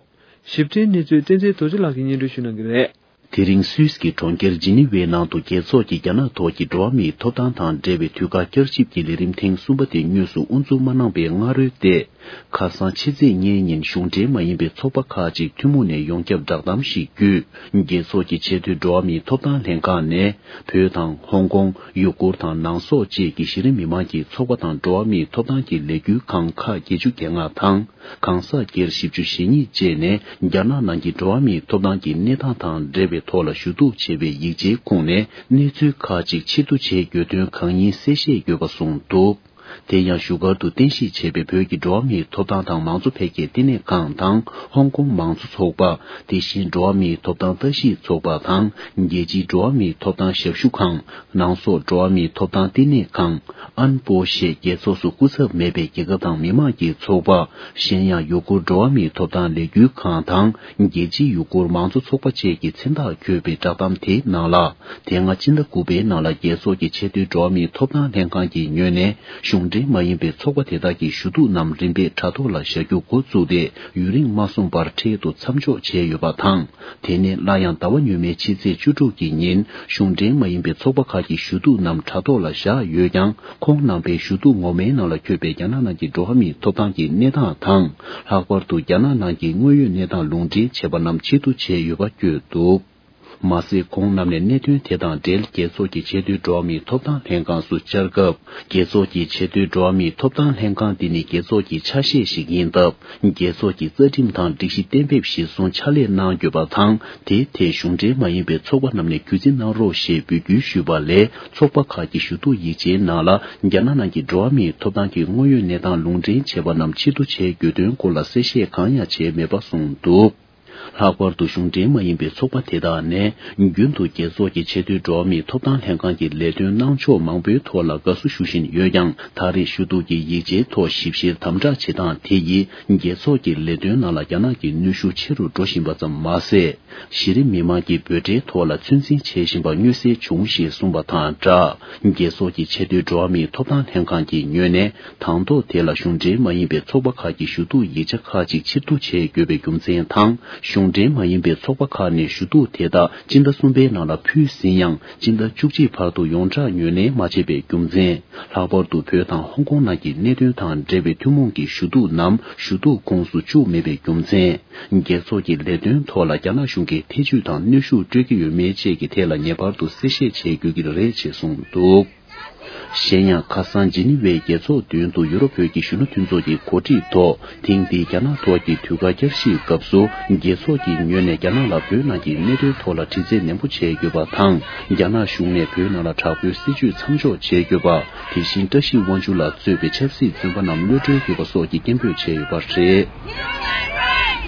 ཞིབ་ཕྲའི་གནས་ཚུལ་བསྟན་འཛིན་རྡོ་རྗེ་ལགས་ཀྱིས་སྙན་སྒྲོན་ཞུ་གནང་གི་རེད། དེ་རིང་སུད་སི་གི་གྲོང་ཁྱེར་ཇི་ནི་ཝའི་ནང་དུ། རྒྱལ་ཚོགས་ཀྱི་རྒྱ་ནག་ཐོག་གི་འགྲོ་བ་མིའི་ཐོབ་ཐང་དང་འབྲེལ་བའི་དུས་བཀག་བསྐྱར་ཞིབ་ཀྱི་ལས་རིམ་ཐེངས་གསུམ་པ་དེ་དངོས་སུ་དབུ་འཛུགས་མ་གནང་པའི་སྔ་རོལ་ཏེ། ཁ་སང་ཕྱི་ཚེས་ལྔའི་ཉིན་གཞུང་འབྲེལ་མ་ཡིན་པའི་ཚོགས་པ་ཁག་ཅིག་ཐུན་མོང་ནས་ཡོངས་ཁྱབ་བསྒྲགས་གཏམ་ཞིག་བརྒྱུད། རྒྱལ་ཚོགས་ཀྱི་ཆེས་མཐོའི་འགྲོ་བ་མིའི་ཐོབ་ཐང་ལྷན་ཁང་ནས། བོད་དང་ཧོང་ཀོང་། ཡུ་གུར་དང་ནང་སོག་བཅས་ཀྱི་གཞི་རིམ་མི་མང་གི་ཚོགས་པ་དང་། འགྲོ་བ་མིའི་ཐོབ་ཐང་གི་ལས་འགུལ་ཁང་ཁག་བརྒྱད་ཅུ་གྱ་ལྔ་དང་། གང་ཟག་སྒེར་བཞི་བཅུ་ཞེ་གཉིས་བཅས་ནས། རྒྱ་ནག་ནང་གི་འགྲོ་བ་མིའི་ཐོབ་ཐང་གི་གནས་སྟངས་དང་འབྲེལ་བའི་ཐོག་ལ་ཞུ་གཏུག་བྱས་པའི་ཡིག་ཆའི་ཁུངས་ནས། གནས་ཚུལ་ཁག་ཅིག་ཕྱིར་བསྡུ་བྱས་དགོས་དོན་གང་ཡིན་གསལ་བཤད་ཡོད་པ་གསུངས་འདུག་དེ་ཡང་བཞུགས་སྒར་དུ་རྟེན་གཞི་བྱས་པའི་བོད་ཀྱི་འགྲོ་བ་མིའི་ཐོབ་ཐང་དང་མང་གཙོ་འཕེལ་རྒྱས་བསྟི་གནས་ཁང་དང་། ཧོང་ཀོང་མང་གཙོ་ཚོགས་པ། དེ་བཞིན་འགྲོ་བ་མིའི་ཐོབ་ཐང་ལྟ་ཞིབ་ཚོགས་པ་དང་། རྒྱལ་སྤྱིའི་འགྲོ་བ་མིའི་ཐོབ་ཐང་ཞབས་ཞུ་ཁང་། ནང་སོག་འགྲོ་བ་མིའི་ཐོབ་ཐང་བསྟི་གནས་ཁང་། ཨན་པོ་ཞེས་རྒྱལ་ཚོགས་སུ་སྐུ་ཚབ་མེད་པའི་རྒྱལ་ཁབ་དང་མི་དམངས་ཀྱི་ཚོགས་པ། གཞན་ཡང་ཡུ་གུར་འགྲོ་བ་མིའི་ཐོབ་ཐང་ལས་འགུལ་ཁང་དང་། རྒྱལ་སྤྱིའི་ཡུ་གུར་མང་གཙོ་ཚོགས་པ་བཅས་ཀྱི་མཚན་རྟགས་འཁོད་པའི་བསྒྲགས་གཏམ་དེའི་ནང་ལ། དེ་སྔ་ཕྱི་ཟླ་དགུ་པའི་ནང་ལ་རྒྱལ་ཚོགས་ཀྱི་ཆེས་མཐོའི་འགྲོ་བ་མིའི་ཐོབ་ཐང་ལྷན་ཁང་གི་ངོས་ནས་གཞུང་འབྲེལ་མ་ཡིན་པའི་ཚོགས་པ་དེ་དག་གི་ཞུ་གཏུག་རྣམས་རིམ་པས་དྲ་ཐོག་ལ་བཞག་རྒྱུ་འགོ་བཙུགས་ཏེ། ཡུན་རིང་མ་སོང་བར་འཕྲལ་དུ་མཚམས་འཇོག་བྱས་ཡོད་པ་དང་། དེ་ནས་སླར་ཡང་ཟླ་བ་སྔོན་མའི་ཕྱི་ཚེས་བཅུ་དྲུག་གི་ཉིན། གཞུང་འབྲེལ་མ་ཡིན་པའི་ཚོགས་པ་ཁག་གི་ཞུ་གཏུག་རྣམས་དྲ་ཐོག་ལ་བཞག་ཡོད་ཀྱང་། ཁོང་རྣམ་པའི་ཞུ་གཏུག་ངོ་མའི་ནང་ལ་འཁོད་པའི་རྒྱ་ནག་ནང་གི་འགྲོ་བ་མིའི་ཐོབ་ཐང་གི་གནས་སྟངས་དང་། ལྷག་པར་དུ་རྒྱ་ནག་ནང་གི་དངོས་ཡོད་གནས་སྟངས་ལུང་འདྲེན་བྱས་པ་རྣམས་ཕྱིར་བསྡུ་བྱས་ཡོད་པ་བཀོད་འདུག་མ་ཟད། ཁོང་རྣམས་ནས་གནད་དོན་དེ་དང་འབྲེལ། རྒྱལ་ཚོགས་ཀྱི་ཆེས་མཐོའི་འགྲོ་བ་མིའི་ཐོབ་ཐང་ལྷན་ཁང་སུ་བཅར་སྐབས། རྒྱལ་ཚོགས་ཀྱི་ཆེས་མཐོའི་འགྲོ་བ་མིའི་ཐོབ་ཐང་ལྷན་ཁང་འདི་ནི་རྒྱལ་ཚོགས་ཀྱི་ཆ་ཤས་ཤིག་ཡིན་སྟབས། རྒྱལ་ཚོགས་ཀྱི་རྩ་ཁྲིམས་དང་སྒྲིག་གཞི་གཏན་འབེབས་གཞིར་བཟུང་ཕྱག་ལས་གནང་དགོས་པ་དང་། དེའི་ཐད་གཞུང་འབྲེལ་མ་ཡིན་པའི་ཚོགས་པ་རྣམས་ནས་གུས་བརྩི་གནང་རོགས་ཞེས་འབོད་སྐུལ་ཞུས་པ་ལས། ཚོགས་པ་ཁག་གི་ཞུ་གཏུག་ཡིག་ཆའི་ནང་ལ། རྒྱ་ནག་ནང་གི་འགྲོ་བ་མིའི་ཐོབ་ཐང་གི་དངོས་ཡོད་གནས་སྟངས་ལུང་འདྲེན་བྱས་པ་རྣམས་ཕྱིར་བསྡུ་བྱེད་དགོས་དོན་སྐོར་ལ་གསལ་བཤད་གང་ཡང་བྱས་མེད་པ་གསུངས་འདུག་ལྷག་པར་དུ་གཞུང་འབྲེལ་མ་ཡིན་པའི་ཚོགས་པ་དེ་དག་ནས་རྒྱུན་དུ་རྒྱལ་ཚོགས་ཀྱི་ཆེས་མཐོའི་འགྲོ་བ་མིའི་ཐོབ་ཐང་ལྷན་ཁང་གི་ལས་དོན་གནང་ཕྱོགས་མང་པོའི་ཐོག་ལ་དགའ་བསུ་ཞུ་བཞིན་ཡོད་ཀྱང་། ད་རེས་ཞུ་གཏུག་གི་ཡིག་ཆའི་ཐོག་ཞིབ་བཤེར་དམ་དྲག་བྱེད་སྟངས་དེ་ཡིས་རྒྱལ་ཚོགས་ཀྱི་ལས་དོན་ནང་ལ་རྒྱ་ནག་གི་གནོན་ཤུགས་ཆེ་རུ་འགྲོ་བཞིན་པ་ཙམ་མ་ཟད། གཞི་རིམ་མི་མང་གི་འབོད་སྒྲའི་ཐོག་ལ་ཚོད་འཛིན་བྱེད་བཞིན་པ་མངོན་གསལ་བྱུང་ཞེས་གསུངས་པ་དང་སྦྲགས། རྒྱལ་ཚོགས་ཀྱི་ཆེས་མཐོའི་འགྲོ་བ་མིའི་ཐོབ་ཐང་ལྷན་ཁང་གི་ངོས་ནས་དང་ཐོག་དེ་ལ་གཞུང་འབྲེལ་མ་ཡིན་པའི་ཚོགས་པ་ཁག་གི་ཞུ་གཏུག་ཡིག་ཆ་ཁག་ཅིག་ཕྱིར་བསྡུ་བྱེད་དགོས་པའི་རྒྱུ་མཚན་དང་། གཞུང་འབྲེལ་མ་ཡིན་པའི་ཚོགས་པ་ཁག་ནས་ཞུ་གཏུག་དེ་དག་སྤྱི་ཟླ་གསུམ་པའི་ནང་ལ་ཕུལ་ཟིན་ཡང་། སྤྱི་ཟླ་བཅུ་གཅིག་བར་དུ་ཡོངས་བསྒྲགས་ངོས་ལེན་མ་བྱས་པའི་རྒྱུ་མཚན། ལྷག་པར་དུ་བོད་དང་ཧོང་ཀོང་ནང་གི་གནད་དོན་དང་འབྲེལ་བའི་ཐུན་མོང་གི་ཞུ་གཏུག་ནམ་ཞུ་གཏུག་ཁོངས་སུ་བཅུག་མེད་པའི་རྒྱུ་མཚན། རྒྱལ་ཚོགས་ཀྱི་ལས་དོན་ཐོག་ལ་རྒྱ་ནག་གཞུང་གིས་ཐེ་ཇུས་དང་གནོན་ཤུགས་སྤྲོད་ཀྱི་ཡོད་མེད་བཅས་ཀྱི་ཐད་ལ་ངེས་པར་དུ་གསལ་བཤད་བྱེད་དགོས་ཀྱི་རེད་ཅེས་གསུངས་འདུག་གཞན་ཡང་། ཁ་སང་ཇི་ནི་ཝའི་རྒྱལ་ཚོགས་མདུན་དུ་ཡུ་རོབ་བོད་ཀྱི་གཞོན་ནུ་མཐུན་ཚོགས་ཀྱི་གོ་སྒྲིག་ཐོག་ཐེངས་འདིའི་རྒྱ་ནག་ཐོག་གི་དུས་བཀག་བསྐྱར་ཞིབ་སྐབས་སུ། རྒྱལ་ཚོགས་ཀྱི་ངོས་ནས་རྒྱ་ནག་ལ་བོད་ནང་གི་གནད་དོན་ཐོག་ལ་དྲི་རྩད་ནན་པོ་བྱེད་དགོས་པ་དང་། རྒྱ་ནག་གཞུང་ནས་བོད་ནང་ལ་དྲག་པོའི་སྲིད་བྱུས་མཚམས་འཇོག་བྱེད་དགོས་པ། དེ་བཞིན་བཀྲ་ཤིས་དབང་ཕྱུག་ལགས་གཙོས་པའི་ཆབ་སྲིད་བཙོན་པ་རྣམས་གློད་གྲོལ་དགོས་པ་སོགས་ཀྱི་སྐད་འབོད་བྱས་ཡོད་པ་རེད།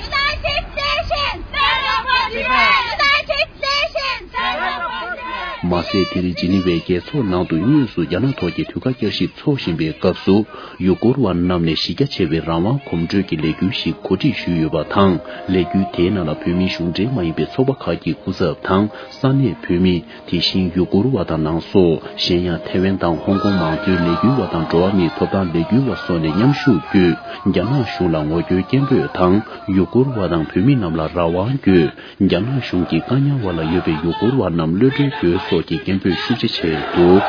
United Nations, stand up for Tibet! United Nations, stand up for Tibet! མ་ཟད། དེ་རིང་ཇི་ནི་ཝའི་རྒྱལ་ཚོགས་ནང་དུ་དངོས་སུ་རྒྱ་ནག་ཐོག་གི་དུས་བཀག་བསྐྱར་ཞིབ་འཚོགས་བཞིན་པའི་སྐབས་སུ། ཡུ་གུར་བ་རྣམས་ནས་གཞི་རྒྱ་ཆེ་བའི་རང་དབང་གོམ་བགྲོད་ཀྱི་ལས་འགུལ་ཞིག་གོ་སྒྲིག་ཞུས་ཡོད་པ་དང་། ལས་འགུལ་དེའི་ནང་ལ་བོད་མིའི་གཞུང་འབྲེལ་མ་ཡིན་པའི་ཚོགས་པ་ཁག་གི་སྐུ་ཚབ་དང་། ས་གནས་བོད་མི། དེ་བཞིན་ཡུ་གུར་བ་དང་ནང་སོགས། གཞན་ཡང་ཐའེ་ཝན་དང་ཧོང་ཀོང་མང་གཙོའི་ལས་འགུལ་བ་དང་། འགྲོ་བ་མིའི་ཐོབ་ཐང་ལས་འགུལ་བ་སོགས་ནས་མཉམ་ཞུགས་བརྒྱུད། རྒྱ་ནག་གཞུང་ལ་ངོ་རྒོལ་སྐད་འབོད་དང་། ཡུ་གུར་བ་དང་བོད་མི་རྣམས་ལ་རང་དབང་དགོས། རྒྱ་ནག་གཞུང་གིས་བཀག་ཉར་འོག་ལ་ཡོད་པའི་ཡུ་གུར་བ་རྣམས་གློད་གྲོལ་དགོས་སོགས་ཀྱི་སྐད་འབོད་ཤུགས་ཆེ་བྱས་འདུག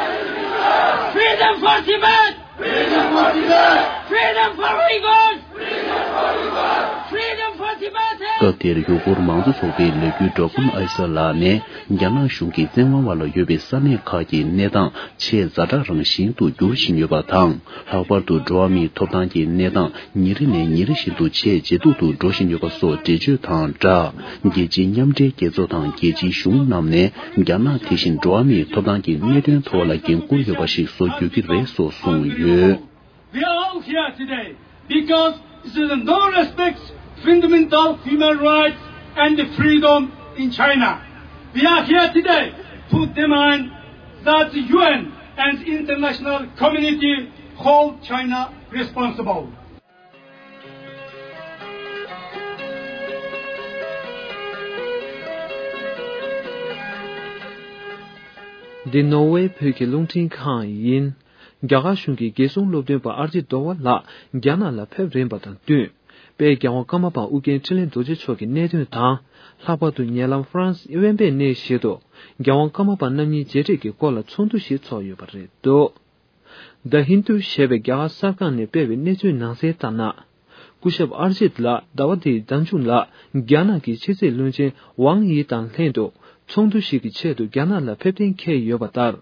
Freedom for Tibet! Freedom for Tibet! Freedom for Uyghurs! Freedom for Uyghurs! Freedom for Tibetans! སྐབས་དེར་ཡུ་གུར་མང་གཙོ་ཚོགས་པའི་ལས་འགུལ་སྒྲོག་མཁན་ཨའི་ས་ལགས་ནས། རྒྱ་ནག་གཞུང་གིས་བཙན་དབང་འོག་ལ་ཡོད་པའི་ས་གནས་ཁག་གི་གནས་སྟངས་ཆེས་ཛ་དྲག་རང་བཞིན་དུ་འགྱུར་བཞིན་ཡོད་པ་དང་། ལྷག་པར་དུ་འགྲོ་བ་མིའི་ཐོབ་ཐང་གི་གནས་སྟངས་ཉིན་རེ་ནས་ཉིན་རེ་བཞིན་དུ་ཆེས་ཇེ་སྡུག་ཏུ་འགྲོ་བཞིན་ཡོད་པ་སོགས་འགྲེལ་བརྗོད་དང་སྦྲགས། རྒྱལ་སྤྱིའི་མཉམ་འབྲེལ་རྒྱལ་ཚོགས་དང་རྒྱལ་སྤྱིའི་གཞུང་རྣམས་ནས་རྒྱ་ནག་དེ་བཞིན་འགྲོ་བ་མིའི་ཐོབ་ཐང་གི་གནད་དོན་ཐོག་ལ་འགན་འཁུར་ཡོད་པ་ཞིག་བཟོ་དགོས་ཀྱི་རེད་སོགས་གསུངས་ཡོད། We are all here today because there is no respect fundamental human rights and freedom in China. We are here today to demand that the U N and the international community hold China responsible. འདི་ནོར་ཝེ་བོད་ཀྱི་རླུང་འཕྲིན་ཁང་ཡིན། རྒྱ་གར་གཞུང་གིས་རྒྱལ་སྲུང་སློབ་སྟོན་པ་ཨར་ཇི་དོ་བ་ལགས་རྒྱ་ནག་ལ་ཕེབས་རན་པ་དང་བསྟུན། དཔལ་རྒྱལ་དབང་ཀརྨ་པ་ཨུ་རྒྱན་འཕྲིན་ལས་རྡོ་རྗེ་མཆོག་གི་གནད་དོན་དང་། ལྷག་པར་དུ་ཉེ་ལམ་ཧྥ་རན་སི་དབེན་པའི་གནས་ཤིག་ཏུ་རྒྱལ་དབང་ཀརྨ་པ་རྣམ་གཉིས་མཇལ་འཕྲད་ཀྱི་སྐོར་ལ་ཚོགས་འདུ་ཞིག་ཚོགས་ཡོད་པ་རེད་འདུག The Hindu ཞེས་པའི་རྒྱ་གར་གསར་ཁང་ནས་སྤེལ་བའི་གནས་ཚུལ་ནང་གསལ་ལྟར་ན། སྐུ་ཞབས་ཨར་ཇིད་ལགས་ཟླ་བ་འདིའི་ཟླ་མཇུག་ལ་རྒྱ་ནག་གི་ཕྱི་སྲིད་བློན་ཆེན་ཝང་དབྱི་དང་ལྷན་དུ་ཚོགས་འདུ་ཞིག་གི་ཆེད་དུ་རྒྱ་ནག་ལ་ཕེབས་གཏན་འཁེལ་ཡོད་པ་ལྟར།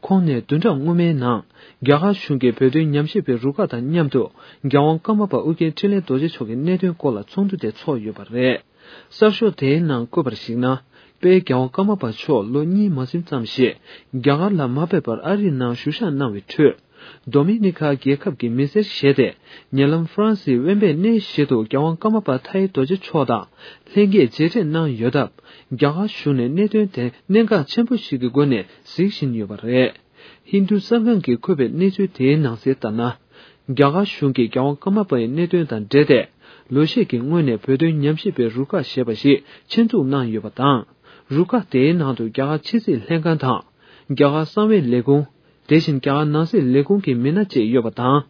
ཁོང་ནས་བདུན་ཕྲག་སྔོན་མའི་ནང་རྒྱ་གར་གཞུང་གིས་བོད་དོན་ཉམས་ཞིབ་པའི་རུ་ཁག་དང་མཉམ་དུ་རྒྱལ་དབང་ཀརྨ་པ་ཨུ་རྒྱན་འཕྲིན་ལས་རྡོ་རྗེ་མཆོག་གི་གནད་དོན་སྐོར་ལ་ཚོགས་འདུ་དེ་ཚོགས་ཡོད་པ་རེད། གསར་ཤོག་དེའི་ནང་བཀོད་པར་གཞིགས་ན། དཔལ་རྒྱལ་དབང་ཀརྨ་པ་མཆོག་ལོ་གཉིས་མ་ཟིན་ཙམ་ཞིག་རྒྱ་གར་ལ་མ་ཕེབས་པར་ཨ་རིའི་ནང་བཞུགས་ཞག་གནང་བའི་ཁྲོད། ཌོ་མི་ནི་ཁ་རྒྱལ་ཁབ་ཀྱི་མི་སེར་ཞེས་ཏེ། ཉེ་ལམ་ཧྥ་རན་སིའི་དབེན་པའི་གནས་ཤིག་ཏུ་རྒྱལ་དབང་ཀརྨ་པ་མཐའ་ཡས་རྡོ་རྗེ་མཆོག་དང་ལྷན་རྒྱས་མཇལ་འཕྲད་གནང་ཡོད་སྟབས། རྒྱ་གར་གཞུང་ནས་གནད་དོན་དེ་གནད་འགག་ཆེན་པོ་ཞིག་གི་སྒོ་ནས་གཟིགས་བཞིན་ཡོད་པ་རེད། ཧིན་རྡུ་གསར་ཁང་གིས་བཀོད་པའི་གནས་ཚུལ་དེའི་ནང་གསལ་ལྟར་ན། རྒྱ་གར་གཞུང་གིས་རྒྱལ་དབང་ཀརྨ་པའི་གནད་དོན་དང་འབྲེལ་ཏེ། ལོ་ཤས་ཀྱི་སྔོན་ནས་བོད་དོན་ཉམས་ཞིབ་པའི་རུ་ཁག་ཞེས་པ་ཞིག་ཆེད་འཛུགས་གནང་ཡོད་པ་དང་། རུ་ཁག་དེའི་ནང་དུ་རྒྱ་གར་ཕྱི་སྲིད་ལྷན་ཁང་དང་། རྒྱ་གར་གསང་བའི་ལས་ཁུངས། དེ་བཞིན་རྒྱ་གར་ནང་སྲིད་ལས་ཁུངས་ཀྱི་མི་སྣ་བཅས་ཡོད་པ་དང་།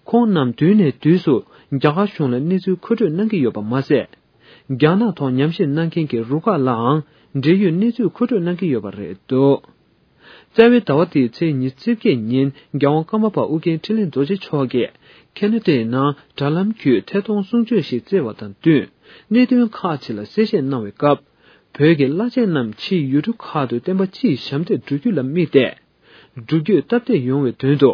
ཁོང་རྣམས་དུས་ནས་དུས་སུ་རྒྱ་གར་གཞུང་ལ་གནས་ཚུལ་མཁོ་སྤྲོད་གནང་གི་ཡོད་པ་མ་ཟད། རྒྱ་ནག་ཐོག་ཉམས་ཞིབ་གནང་མཁན་གྱི་རུ་ཁག་ལའང་འབྲེལ་ཡོད་གནས་ཚུལ་མཁོ་སྤྲོད་གནང་གི་ཡོད་པ་རེད་འདུག་རྩ་བའི་ཟླ་བ་འདིའི་ཚེས་ཉི་ཤུ་རྩ་བརྒྱད་ཉིན་རྒྱལ་དབང་ཀརྨ་པ་ཨུ་རྒྱན་འཕྲིན་ལས་རྡོ་རྗེ་མཆོག་གིས་ཁེ་ན་ཌའི་ནང་དྲ་ལམ་བརྒྱུད་ཐད་གཏོང་གསུང་ཆོས་ཤིག་བསྩལ་བ་དང་བསྟུན། གནད་དོན་ཁག་ཅིག་ལ་གསལ་བཤད་གནང་བའི་སྐབས། བོད་ཀྱི་བླ་ཆེན་རྣམས་ཕྱིའི་ཡུལ་གྲུ་ཁག་ཏུ་བསྟན་པ་སྤྱིའི་ཞབས་འདེགས་སྒྲུབ་རྒྱུ་ལ་དམིགས་ཏེ། འགྲུལ་སྐྱོད་སྟབས་བདེ་ཡོང་བའི་དོན་དུ།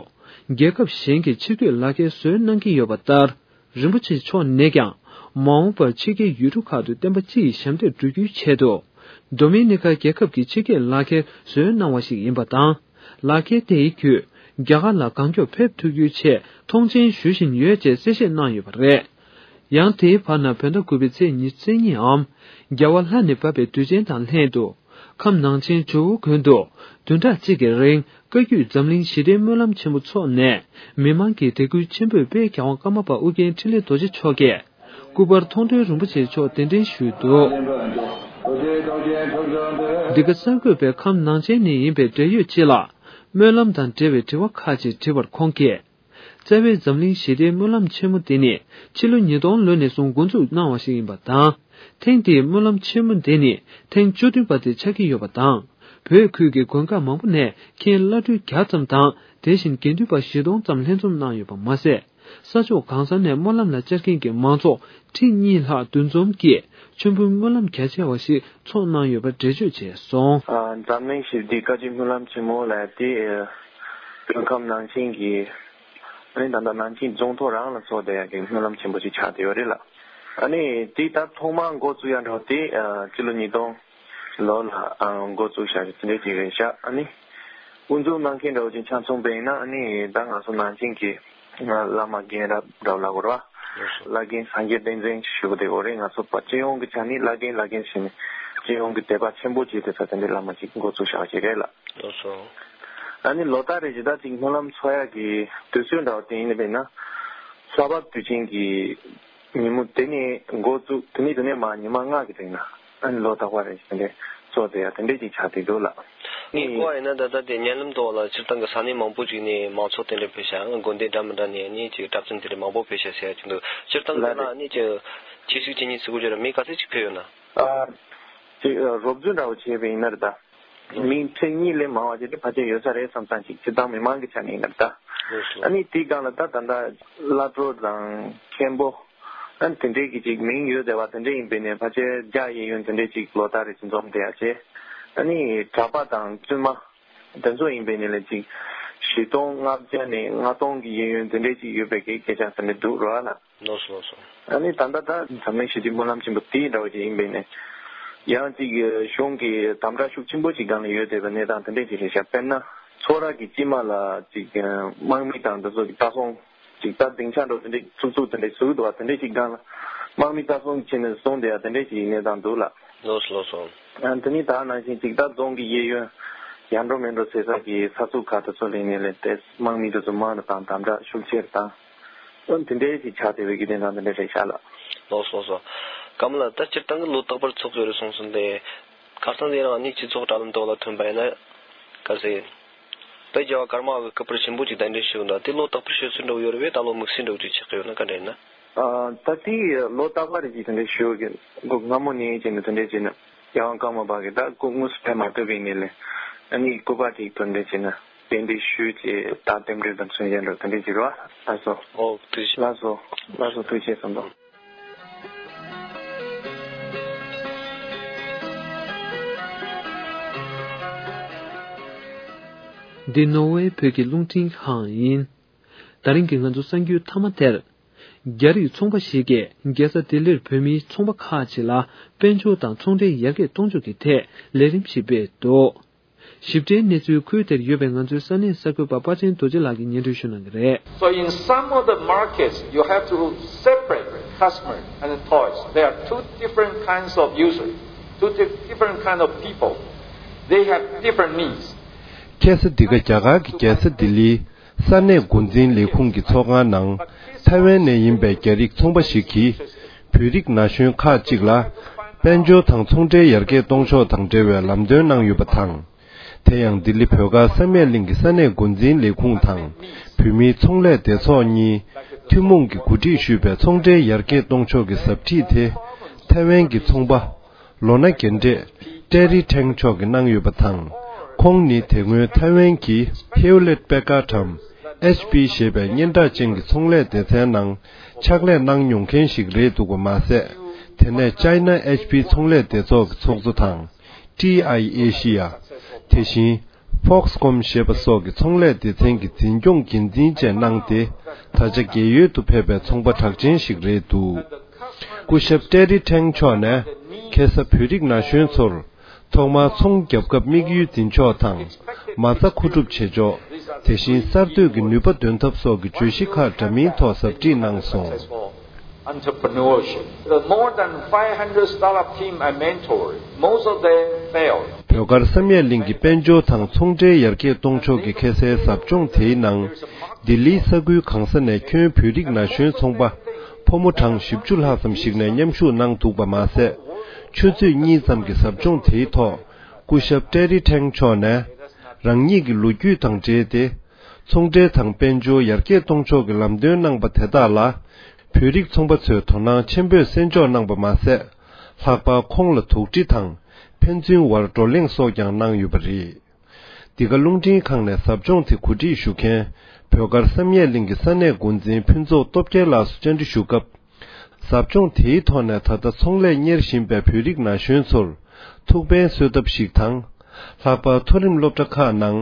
རྒྱལ་ཁབ་གཞན་གྱི་ཕྱིར་སྐྱོད་ལག་ཁྱེར་བཟོས་གནང་གི་ཡོད་པ་ལྟར། རིན་པོ་ཆེ་མཆོག་ནས་ཀྱང་། མ་འོངས་པར་ཕྱི་རྒྱལ་ཡུལ་གྲུ་ཁག་ཏུ་བསྟན་པ་སྤྱི་ཡི་ཞབས་འདེགས་སྒྲུབ་རྒྱུའི་ཆེད་དུ། ཌོ་མི་ནི་ཁ་རྒྱལ་ཁབ་ཀྱི་ཕྱི་སྐྱོད་ལག་ཁྱེར་བཟོས་གནང་བ་ཞིག་ཡིན་པ་དང་། ལག་ཁྱེར་དེའི་བརྒྱུད། རྒྱ་གར་ལ་གང་མགྱོགས་ཕེབས་ཐུབ་རྒྱུའི་ཆེད་མཐོང་ཆེན་ཞུ་བཞིན་ཡོད་ཅེས་གསལ་བཤད་གནང་ཡོད་པ་རེད། ཡང་དེའི་བར་ན་བོད་ཟླ་དགུ་པའི་ཚེས་ཉི་ཤུ་རྩ་གཉིས་འམ། རྒྱལ་བ་ལྷ་ནས་བབས་པའི་དུས་ཆེན་དང་ལྷན་དུ། ཁམས་ནང་ཆེན་ཇོ་བོ་དགོན་དུ། བདུན་ཕྲག་གཅིག་གི་རིང་བཀའ་བརྒྱུད་འཛམ་གླིང་ཞི་བདེའི་སྨོན་ལམ་ཆེན་པོ་འཚོགས་ནས། མི་མང་གི་དད་གུས་ཆེན་པོས་དཔལ་རྒྱལ་དབང་ཀརྨ་པ་ཨོ་རྒྱན་འཕྲིན་ལས་རྡོ་རྗེ་མཆོག་གིས། སྐུ་པར་མཐོང་གྲོལ་རིན་པོ་ཆེ་མཆོག་གདན་འདྲེན་ཞུས་འདུག། འདི་ག་གསར་འགོད་པས་ཁམས་ནང་ཆེན་ནས་ཡིན་པའི་འབྲེལ་ཡོད་ཅིག་ལ། སྨོན་ལམ་དང་འབྲེལ་བའི་དྲི་བ་ཁག་ཅིག་དྲིས་པར་ཁོང་གིས། རྩ་བའི་འཛམ་གླིང་ཞི་བདེའི་སྨོན་ལམ་ཆེན་མོ་འདི་ནི་ཕྱི་ལོ་ཉིས་སྟོང་ལོ་ནས་བཟུང་འགོ་འཛུགས་གནང་བ་ཞིག་ཡིན་པ་དང་། ཐེངས་འདིའི་སྨོན་ལམ་ཆེན་མོ་འདི་ནི་ཐེངས་བཅུ་བདུན་པ་དེ་ཆགས་ཀྱི་ཡོད་པ་དང་། བོད་ཁུལ་གྱི་དགོན་ཁག་མང་པོ་ནས་མཁན་བླ་སྤྲུལ་བརྒྱ་ཙམ་དང་། དེ་བཞིན་དགེ་འདུན་པ་བཞི་སྟོང་ཙམ་ལྷན་འཛོམས་གནང་ཡོད་པ་མ་ཟད། ས་ཕྱོགས་གང་ས་ནས་སྨོན་ལམ་ལ་བཅར་མཁན་གྱི་མང་ཚོགས་ཁྲི་གཉིས་ལྷག་འདུ་འཛོམས་ཀྱིས་མཆོད་འབུལ་སྨོན་ལམ་རྒྱ་ཆེ་བ་ཞིག་འཚོགས་གནང་ཡོད་པ་འགྲེལ་བརྗོད་བྱས་སོང་། ཨ། འཛམ་གླིང་ཞི་བདེའི་བཀའ་བརྒྱུད་སྨོན་ལམ་ཆེན་མོ་ལབ་དེ། ཨ། བོད་ཁམས་ནང་ཆེན་གྱི། ཨ་ནི་ད་ལྟ་ནང་ཆེན་རྫོང་ཐོག་རང་ལ་འཚོགས་བསྡད་ཡག་གི་སྨོན་ལམ་ཆེན་པོ་ཞིག་ཆགས་བསྡད་ཡོད་རེད་ལ། ཨ་ནི་དེ་ད་ཐོག་མར་འགོ་བཙུགས་ཡ་འདྲ་བོ་དེ། ཨ། སྤྱི་ལོ་ཉིས་སྟོང་ལོ་ལ། ཨ། འགོ་བཙུགས་བཞག་དེ་འདྲ་ཅིག་རེད་ཤག། ཨ་ནི་དབུ་འཛུགས་གནང་མཁན་འདྲ་བོ་ཅིག་ཆ་མཚོན་པ་ཡིན་ན། ཨ་ནི་ད་ང་ཚོ་ནང་ཆེན་གྱི་བླ་མ་རྒན་རབས་འདྲ་བོ་ལབ་དགོས་རེད་བ། བླ་རྒན་སངས་རྒྱས་བསྟན་འཛིན་ཞུ་གི་འདུག་རེད། ང་ཚོ་པ་སྤྱི་ཡོངས་ཀྱི་ཆ་ནས་བླ་རྒན་བླ་རྒན་ཟེར་ནས་སྤྱི་ཡོངས་ཀྱི་དད་པ་ཆེན་པོ་བྱས་ཏེ་ས་དེ་འདྲའི་བླ་མ་ཅིག་འགོ་བཙུགས་བཞག་ཅིག་རེད་ལ། ལགས་སོ། ཨ་ནི་ལོ་ལྟར་རེ་བཞིན་ད་ཅིག་སྨོན་ལམ་འཚོགས་ཡག་གི་དུས་ཚོད་འདྲ་བོ་དེ་ཡིན་ནི་མིན་ན། ལྷག་པར་དུས་ཆེན་གྱི་ཉིན་མོ་དེ་ནས་འགོ་བཙུགས། དེ་ནས་དེ་ནས་མ་ཉི་མ་ལྔ་གི་རིང་ལ། ཨ་ནི་ལོ་རྟག་པར་རེ་བཞིན་དེ་འདྲའི་འཚོགས་བསྡད་ཡ་དེ་འདྲའི་ཅིག་ཆགས་བསྡད་འདུག་ལགས། ངས་གོ་བ་ཡིན་ན་ད་ལྟ་དེ་ཉེ་ལམ་དུ་ལ་སྤྱིར་བཏང་གི་ས་གནས་མང་པོ་ཅིག་ནས་མང་ཚོགས་དེ་འདྲ་ཕེབས་ཤག། དགོན་སྡེ་འདྲ་མི་འདྲ་ནས་ནི་ཅིག་གྲྭ་བཙུན་དེ་འདྲ་མང་པོ་ཕེབས་ཤག་ཟེར་ཡ་ཅིག་འདུག། སྤྱིར་བཏང་གི་ལགས་ལ་རེད། ནི་ཅིག་ཁྱེད་ཚོས་ཅི་ཉིད་ཟེར་གོ་རྒྱུ་ར་མི་ག་ཚོད་ཅིག་ཕེབས་ཡོད་ན། ཨ། ཅིག་རོབ་བརྗོད་འདྲ་བོ་བྱས་པ་ཡིན་ན་རེད་ད། མི་ཁྲི་གཉིས་ལས་མང་བ་ཅིག་ཕལ་ཆེར་ཡོད་ས་རེད་བསམ་བསམ་ཅིག་སྤྱིར་བཏང་མི་མང་གི་ཆ་ནས་ཡིན་ན་རེད་ད། ལགས་སོ། ཨ་ནི་དེའི་སྒང་ལ་ད་ད་ལྟ་བླ་སྤྲུལ་དང་མཁན་པོ། ཨ་ནི་དེ་འདྲའི་གི་ཅིག་མིང་ཡོད་བསྡད་པ་དེ་འདྲ་ཡིན་པས་ནས་ཕལ་ཆེར་བརྒྱ་གཡས་གཡོན་དེ་འདྲའི་ཅིག་ལོ་ལྟར་རེ་ཅིག་འཛོམས་བསྡད་ཡ་བྱས། ཨ་ནི་གྲྭ་པ་དང་བཙུན་མ་དེ་ཚོ་ཡིན་པས་ནས་ལས་ཅིག་བཞི་སྟོང་ལྔ་བརྒྱ་ནས་ལྔ་སྟོང་གི་གཡས་གཡོན་དེ་འདྲའི་ཅིག་ཡོད་པའི་གི་སྐད་ཆ་དེ་འདྲ་འདུག་རོགས་ལ། ལགས་སོ་ལགས་སོ། ཨ་ནི་ད་ལྟ་ད་འཛམ་གླིང་ཞི་བདེའི་སྨོན་ལམ་ཆེན་པོ་དེ་འདྲ་བ་ཅིག་ཡིན་པས་ནས། ཡང་ཅིག་གཞུང་གི་དམ་དྲག་ཤུགས་ཆེན་པོ་ཅིག་སྒང་ལ་ཡོད་བསྡད་པའི་གནས་སྟངས་དེ་འདྲས་ཅིག་རེད་ཤག། དཔེར་ན་ཚོགས་ར་གི་དཀྱིལ་མ་ལ་ཅིག་དམག་མི་དང་འདི་ཚོ་གི་ལྟ་སྲུང་ཅིག་ད་སྡིངས་ཆ་འདྲ་དེ་འདྲས་ཚུགས་ཚུགས་དེ་འདྲས་བཟོས་འདུག་བ། དེ་འདྲས་ཅིག་སྒང་ལ་དམག་མི་ལྟ་སྲུང་བྱས་ནས་བཟུང་བསྡད་ཡ་དེ་འདྲས་ཅིག་གནས་སྟངས་འདུག་ལགས། ལགས་སོ་ལགས་སོ། ཨ། དེ་ནི་ད་ནང་བཞིན་ཅིག་ད་རྫོང་གི་གཡས་གཡོན་ཡར་འགྲོ་མར་འགྲོ་བྱེད་ས་གི་ས་ཚུགས་ཁག་དེ་ཚོ་ལ་ཡིན་ནའི་ལས་དེ་དམག་མི་དེ་ཚོ་མང་རུ་བཏང་། དམ་དྲག་ཤུགས་ཆེ་རུ་བཏང་། འོ་དེ་འདྲའི་ཅིག་ཆགས་བསྡད་པའི་གི་གནས་སྟངས་དེ་འདྲ་རེད་ཤག་ལགས། ལགས་སོ་ལགས་སོ། ཀརྨ་ལགས། ད་སྤྱིར་བཏང་གི་ལོ་རྟག་པར་འཚོགས་ཀྱི་ཡོད་རེད་གསུངས་སོང་སྟེ། ཁ་སང་དེ་རིང་ཨ་ནི་སྤྱི་ཚོགས་དྲ་ལམ་ཐོག་ལ་ཐོན་པ་ཡིན་ན། ག་ཟེར། དཔལ་རྒྱལ་བ་ཀརྨ་པའི་སྐུ་པར་ཆེན་པོ་ཅིག་གདན་འདྲེན་ཞུས་འདུག། དེ་ལོ་རྟག་པར་ཞུ་སྲོལ་འདྲ་བོ་ཡོད་རེད་པས། ད་ལོ་དམིགས་བསལ་འདྲ་བོ་ཅིག་ཆགས་ཀྱི་ཡོད་ན་ག་འདྲ་ཡིན་ན། ཨ། ད་དེ་ལོ་རྟག་པར་ཅིག་དེ་འདྲ་ཞུ་གི། སྔ་མོ་ནས་བྱས་ནས་དེ་འདྲ་བྱས་ནས་རྒྱལ་དབང་ཀརྨ་པ་གི་ད་སྐུ་དངོས་སུ་ཕེབས་མ་ཐུབ་པའི་ནས་ལས། ཨ་ནི་སྐུ་པར་ཅིག་དེ་འདྲ་བྱས་ནས་གདན་འདྲེན་ཞུས་བྱས། ད་རྟེན་འབྲེལ་དང་མཚོན་བྱེད་འདྲ་དེ་འདྲ་ཅིག་རེད་པ། ལགས་སོ། ཨོ་ཐུགས་རྗེ་ཆེ། ལགས་སོ། ལགས་སོ། ཐུགས་རྗེ་ཆེ་གསུངས་དང་། འདི་ནོར་ཝེ་བོད་ཀྱི་རླུང་འཕྲིན་ཁང་ཡིན། ད་རིང་གི་ང་ཚོ་གསར་འགྱུར་མཐའ་མ་དེར། རྒྱ་རིགས་ཚོང་པ་ཞིག་གིས་རྒྱལ་ས་ལྡི་ལིར་བོད་མིའི་ཚོང་པ་ཁག་ཅིག་ལ་དཔལ་འབྱོར་དང་ཚོང་འབྲེལ་ཡར་རྒྱས་གཏོང་ཕྱོགས་ཀྱི་ཐད་ལས་རིམ་ཞིག་སྤེལ་འདུག། ཞིབ་ཕྲའི་གནས་ཚུལ་ཁུལ་དེར་ཡོད་པའི་ང་ཚོའི་ས་གནས་གསར་འགོད་པ་དཔལ་ཆེན་རྡོ་རྗེ་ལགས་ཀྱིས་སྙན་སྒྲོན་ཞུ་གནང་གི་རེད། So in some of the markets, you have to separate customer and toys. There are two different kinds of users, two di- different kind of people. They have different needs. ཁ་སང་འདི་ག་རྒྱ་གར་གྱི་རྒྱལ་ས་ལྡི་ལིའི་ས་གནས་འགོ་འཛིན་ལས་ཁུངས་ཀྱི་ཚོགས་ཁང་ནང་། ཐའེ་ཝན་ནས་ཡིན་པའི་རྒྱ་རིགས་ཚོང་པ་ཞིག་གིས། བོད་རིགས་ན་གཞོན་ཁག་ཅིག་ལ། དཔལ་འབྱོར་དང་ཚོང་འབྲེལ་ཡར་རྒྱས་གཏོང་ཕྱོགས་དང་འབྲེལ་བའི་ལམ་སྟོན་གནང་ཡོད་པ་དང་། དེ་ཡང་ལྡི་ལི་བོད་སྒར་བསམ་ཡས་གླིང་གི་ས་གནས་འགོ་འཛིན་ལས་ཁུངས་དང་། བོད་མིའི་ཚོང་ལས་སྡེ་ཚོགས་གཉིས། ཐུན་མོང་གིས་གོ་སྒྲིག་ཞུས་པའི་ཚོང་འབྲེལ་ཡར་རྒྱས་གཏོང་ཕྱོགས་ཀྱི་ཟབ་ཁྲིད་དེ། ཐའེ་ཝན་གྱི་ཚོང་པ། ལོ་ན་རྒན་གྲས་ཀྲེ་རི་ཁྲེང་མཆོག་གིས་གནང་ཡོད་པ་དང་། ཁོང་ནི་དེ་སྔོན་ཐའེ་ཝན་གྱི་Hewlett Packard་འམ་ཨེཆ་པི་ཞེས་པའི་སྙན་གྲགས་ཅན་གྱི་ཚོང་ལས་སྡེ་ཚན་ནང་ཕྱག་ལས་གནང་མྱོང་མཁན་ཞིག་རེད་འདུག་པ་མ་ཟད། དེ་ནས་China H P་ཚོང་ལས་སྡེ་ཚོགས་ཀྱི་ཚོགས་གཙོ་དང་། T I Asia། དེ་བཞིན། Foxconn་ཞེས་པ་སོགས་ཀྱི་ཚོང་ལས་སྡེ་ཚན་གྱི་འཛིན་སྐྱོང་འགན་འཛིན་བཅས་གནང་སྟེ། ད་ཆ་རྒས་ཡོལ་དུ་ཕེབས་པའི་ཚོང་པ་གྲགས་ཅན་ཞིག་རེད་འདུག། སྐུ་ཞབས་ཀྲེ་རི་ཁྲེང་མཆོག་ནས་ཁ་སང་བོད་རིགས་ན་གཞོན་ཚོར། ཐོག་མར་ཚོང་རྒྱབ་སྐབས་དམིགས་ཡུལ་འཛིན་ཕྱོགས་དང་། མ་རྩ་མཁོ་སྒྲུབ་བྱེད་ཕྱོགས། དེ་བཞིན་གསར་གཏོད་ཀྱི་ནུས་པ་འདོན་ཐབས་སོགས་ཀྱི་བརྗོད་གཞི་ཁག་འདྲ་མིན་ཐོག་ཟབ་ཁྲིད་གནང་སོང་། entrepreneurship. The more than five hundred startup team I mentored, most of them failed. བོད་དཀར་བསམ་ཡས་གླིང་གི་དཔལ་འབྱོར་དང་ཚོང་འབྲེལ་ཡར་རྒྱས་གཏོང་ཕྱོགས་ཀྱི་ཁ་གསལ་ཟབ་སྦྱོང་དེའི་ནང་། ལྡི་ལིའི་ས་ཁུལ་གང་ས་ནས་ཁྱོན་བོད་རིགས་ན་གཞོན་ཚོང་པ་ཕོ་མོ་གྲངས་བཞི་བཅུ་ལྷག་ཙམ་ཞིག་ནས་མཉམ་ཞུགས་གནང་འདུག་པ་མ་ཟད། ཆུ་ཚོད་གཉིས་ཙམ་གྱི་ཟབ་སྦྱོང་དེའི་ཐོག་སྐུ་ཞབས་ཀྲེ་རི་ཁྲེང་མཆོག་ནས་རང་ཉིད་ཀྱི་ལོ་རྒྱུས་དང་འབྲེལ་ཏེ། ཚོང་འབྲེལ་དང་དཔལ་འབྱོར་ཡར་རྒྱས་གཏོང་ཕྱོགས་ཀྱི་ལམ་སྟོན་གནང་པ་དེ་དག་ལ། བོད་རིགས་ཚོང་པ་ཚོས་དོ་སྣང་ཆེན་པོས་གསན་འཇོག་གནང་པ་མ་ཟད། ལྷག་པར་ཁོང་ལ་དོགས་འདྲི་དང་ཕན་ཚུན་བར་བགྲོ་གླེང་སོགས་ཀྱང་གནང་ཡོད་པ་རེད། འདི་ག་རླུང་འཕྲིན་ཁང་ནས་ཟབ་སྦྱོང་དེ་གོ་སྒྲིག་ཞུ་མཁན་བོད་དཀར་བསམ་ཡས་གླིང་གི་ས་གནས་འགོ་འཛིན་ཕུན་ཚོགས་སྟོབས་རྒྱལ་ལགས་སུ་བཅར་འདྲི་ཞུ་སྐབས། ཟབ་སྦྱོང་དེའི་ཐོག་ནས་ད་ལྟ་ཚོང་ལས་གཉེར་བཞིན་པའི་བོད་རིགས་ན་གཞོན་ཚོར་ཐུགས་ཕན་གསོས་ཐབས་ཤིག་དང་། ལྷག་པར་མཐོ་རིམ་སློབ་གྲྭ་ཁག་ནང་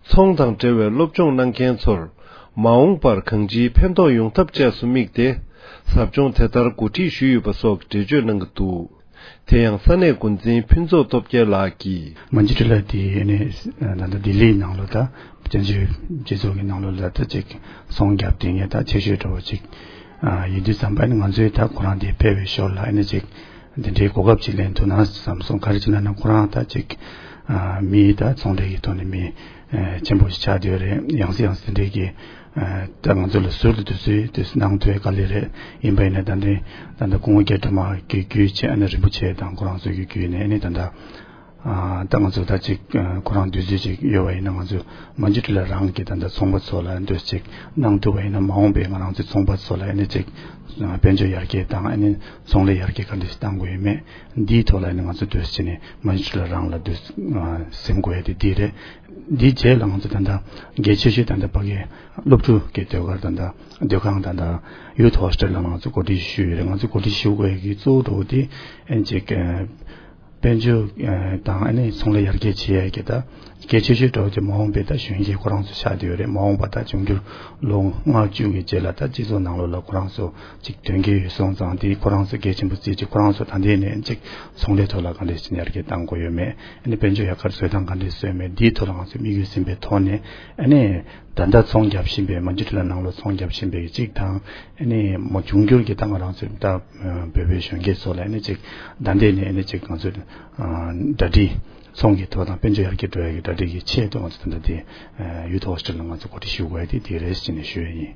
ཚོང་དང་འབྲེལ་བའི་སློབ་སྦྱོང་གནང་མཁན་ཚོར་མ་འོངས་པར་གང་ཅིའི་ཕན་ཐོགས་ཡོང་ཐབས་བཅས་སུ་དམིགས་ཏེ། ཟབ་སྦྱོང་དེ་ལྟར་གོ་སྒྲིག་ཞུས་ཡོད་པ་སོགས་ཀྱི་འགྲེལ་བརྗོད་གནང་གི་འདུག་དེ་ཡང་ས་གནས་འགོ་འཛིན་ཕུན་ཚོགས་སྟོབས་རྒྱལ་ལགས་ཀྱིས། མན་ཇུ་ཊི་ལ་དེ་ནས་ད་ལྟ་ལྡི་ལིའི་ནང་ལོགས་ད་བཙན་བྱོལ་སྤྱི་ཚོགས་ཀྱི་ནང་ལོགས་ལ་ད་ཅིག་ཚོང་རྒྱབ་དེ་ངས་ད་ཆེ་ཤོས་འདྲ་བོ་ཅིག་ཡིན་དུས་ཙམ་པ་ནི་ང་ཚོས་ད་ཁོ་རང་དེ་ཕེབས་པའི་ཞོར་ལ་ཨ་ནི་ཅིག་འདི་འདྲའི་གོ་སྐབས་ཅིག་ལེན་ཐུབ་ན་བསམ་སོང་། ག་རེ་བྱས་ན་ན་ཁོ་རང་ད་ཅིག་མི་ད་ཚོང་འབྲེལ་གྱི་ཐོག་ནས་མི་ཆེན་པོ་ཞིག་ཆགས་བསྡད་ཡོད་རེད། ཡང་སེ་ཡང་སེ་འདི་འདྲའི་གི་ད་ང་ཚོ་ལ་ཟུར་དུ་དུས་ཚོད་དུས་གནང་ཐུབ་ཡ་དཀའ་ལས་རེད། ཡིན་པ་ཡིན་ན་ད་འདི་ད་ལྟ་སྐུ་ངོ་སྐྱབས་གྲོལ་མ་གི་བརྒྱུད་བྱས་ཨ་ནི་རིན་པོ་ཆེ་དང་ཁོ་རང་ཚོ་གི་བརྒྱུད་ནས་ཨ་ནི་ད་ལྟ་ཨ་ད་ང་ཚོ་ད་ཅིག་ཨ་ཁོ་རང་དུས་ཚོད་ཅིག་ཡོད་པ་ཡིན་ན་ང་ཚོ་མན་ཇུ་ཊི་ལ་རང་གི་ད་ལྟ་ཚོང་པ་ཚོ་ལ་འདོད་ཅིག་གནང་ཐུབ་པ་ཡིན་ན་མ་འོངས་པའི་ང་རང་ཚོའི་ཚོང་པ་ཚོ་ལ་ཨ་ནི་ཅིག་ཨ་དཔལ་འབྱོར་ཡར་རྒྱས་དང་ཨ་ནི་ཚོང་ལས་ཡར་རྒྱས་ག་འདྲ་ཞིག་གཏང་དགོས་ཡོད་མེད་འདིའི་ཐོག་ལ་ཨ་ནི་ང་ཚོ་འདོད་ཅིག་ནས་མན་ཇུ་ཊི་ལ་རང་ལ་འདོད་ཨ་སེམས་དགོས་ཡ་དེ་འདི་རེད། འདིའི་རྗེས་ལ་ང་ཚོ་ད་ལྟ་གལ་ཆེ་ཤོས་ད་ལྟ་ཕ་གི་སློབ་ཕྲུག་གི་སྡོད་སྒར་ད་ལྟ་སྡོད་ཁང་ད་ལྟ་ཡུ་ཐི་ཧོ་སི་ཊེལ་ལ་ང་ཚོ་གོ་སྒྲིག་ཞུས་ཡོད་རེད། ང་ཚོ་གོ་སྒྲིག་ཞུ་དགོས་ཡ་གི་གཙོ་བོ་འགྲོ་བ་དེ་ཨ་ནི་ཅིག་དཔལ་འབྱོར་དང་ཨ་ནི་ཚོང་ལས་ཡར་རྒྱས་བྱེད་ཡ་གི་ད་གལ་ཆེ་ཤོས་འགྲོ་བ་དེ་མ་འོངས་པའི་ད་གཞོན་སྐྱེས་ཁོ་རང་ཚོ་ཆགས་བསྡད་ཡོད་རེད། མ་འོངས་པ་ད་འབྱུང་འགྱུར་ལོ་ལྔ་བཅུ་གི་རྗེས་ལ་ད་སྤྱི་ཚོགས་ནང་ལོགས་ལ་ཁོ་རང་ཚོ་ཅིག་དོན་འཁྱོལ་ཡོད་སོང་ཙང་དེ་ཁོ་རང་ཚོ་གལ་ཆེན་པོ་བརྩིས་ཅིག་ཁོ་རང་ཚོ་ད་ལྟའི་ནས་ཅིག་ཚོང་ལས་ཐོག་ལ་ག་འདྲས་ཅིག་ཡར་རྒྱས་གཏང་དགོས་ཡོད་མེད། ཨ་ནི་དཔལ་འབྱོར་ཡག་གར་བཟོ་སྟངས་ག་འདྲས་བཟོས་མེད་འདིའི་ཐོག་ལ་ང་ཚོས་དམིགས་ཡུལ་ཟིན་པའི་ཐོག་ནས་ཨ་ནི་ད་ལྟ་ཚོང་རྒྱབ་བཞིན་པའི་མན་ཇུ་ཊི་ལ་ནང་ལོགས་ཚོང་རྒྱབ་བཞིན་པའི་གཅིག་དང་ཨ་ནི་མ་འབྱུང་འགྱུར་གྱི་ད་ང་རང་ཚོའི་ད་བོད་པའི་གཞོན་སྐྱེས་ཚོ་ལ་ཨ་ནི་གཅིག་ད་ལྟའི་ནས་ཨ་ནི་གཅིག་ང་ཚོས་གྲ་སྒྲིག་ཚོང་གི་ཐོག་དང་དཔལ་འབྱོར་ཡར་རྒྱས་འགྲོ་ཡ་གི་གྲ་སྒྲིག་གི་ཆེད་དུ་ང་ཚོ་ད་ལྟ་དེ་ཡུ་ཐི་ཧོ་སི་ཊེལ་ལ་ང་ཚོ་གོ་སྒྲིག་ཞུ་དགོས་ཡ་དེ་དེ་རེད་ཟེར་ནས་ཞུ་ཡ་ཡིན།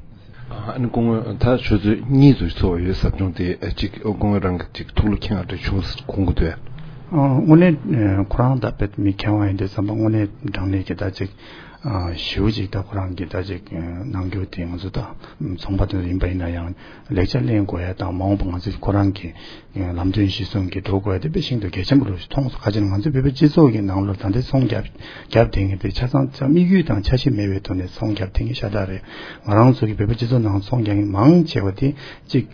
ཨ་ནི་སྐུ་ངོ་ད་ཆུ་ཚོད་གཉིས་ཙམ་ཚོགས་ཡོད་ཟབ་སྦྱོང་དེ་གཅིག་སྐུ་ངོ་རང་གི་གཅིག་ཐུགས་ལ་འཁྱེར་བ་འདྲ་བྱུང་དགོངས་ཀྱི་འདུག་དངོས་གནས་ཁོ་རང་ད་དཔེ་མི་མཁས་དབང་ཡིན་དུས་ཙམ་པ་དངོས་གནས་དྲང་གནས་ཀྱི་ད་ཅིག་ཞེ་པོ་ཅིག་ད་ཁོ་རང་གི་ད་ཅིག་གནང་རྒྱུ་དེ་ང་ཚོ་ད་ཚོང་པ་དེ་ཡིན་པ་ཡིན་ན་ཡང་ལེགས་ཆ་ལེན་དགོས་ཡ་དང་མ་འོངས་པ་ང་ཚོ་ཁོ་རང་གི་ལམ་སྟོན་གཞིར་བཟུང་གི་འགྲོ་དགོས་ཡ་དེ་དཔེ་ཤིན་ཏུ་གལ་ཆེན་པོ་རུ་མཐོང་སོང་། ག་ཅི་ན་ང་ཚོ་བོད་པའི་སྤྱི་ཚོགས་ཀྱི་ནང་ལོགས་ད་ལྟའི་ཚོང་རྒྱབ་རྒྱབ་དེ་ངེས་པའི་ཆ་ཚང་ཚང་དམིགས་ཡུལ་དང་འཆར་གཞི་མེད་པའི་ཐོག་ནས་ཚོང་རྒྱབ་དེ་ངེས་ཤ་སྟག་རེད། ང་རང་ཚོ་གི་བོད་པའི་སྤྱི་ཚོགས་ནང་ཚོང་རྒྱག་མཁན་མང་ཆེ་བ་དེ་གཅིག་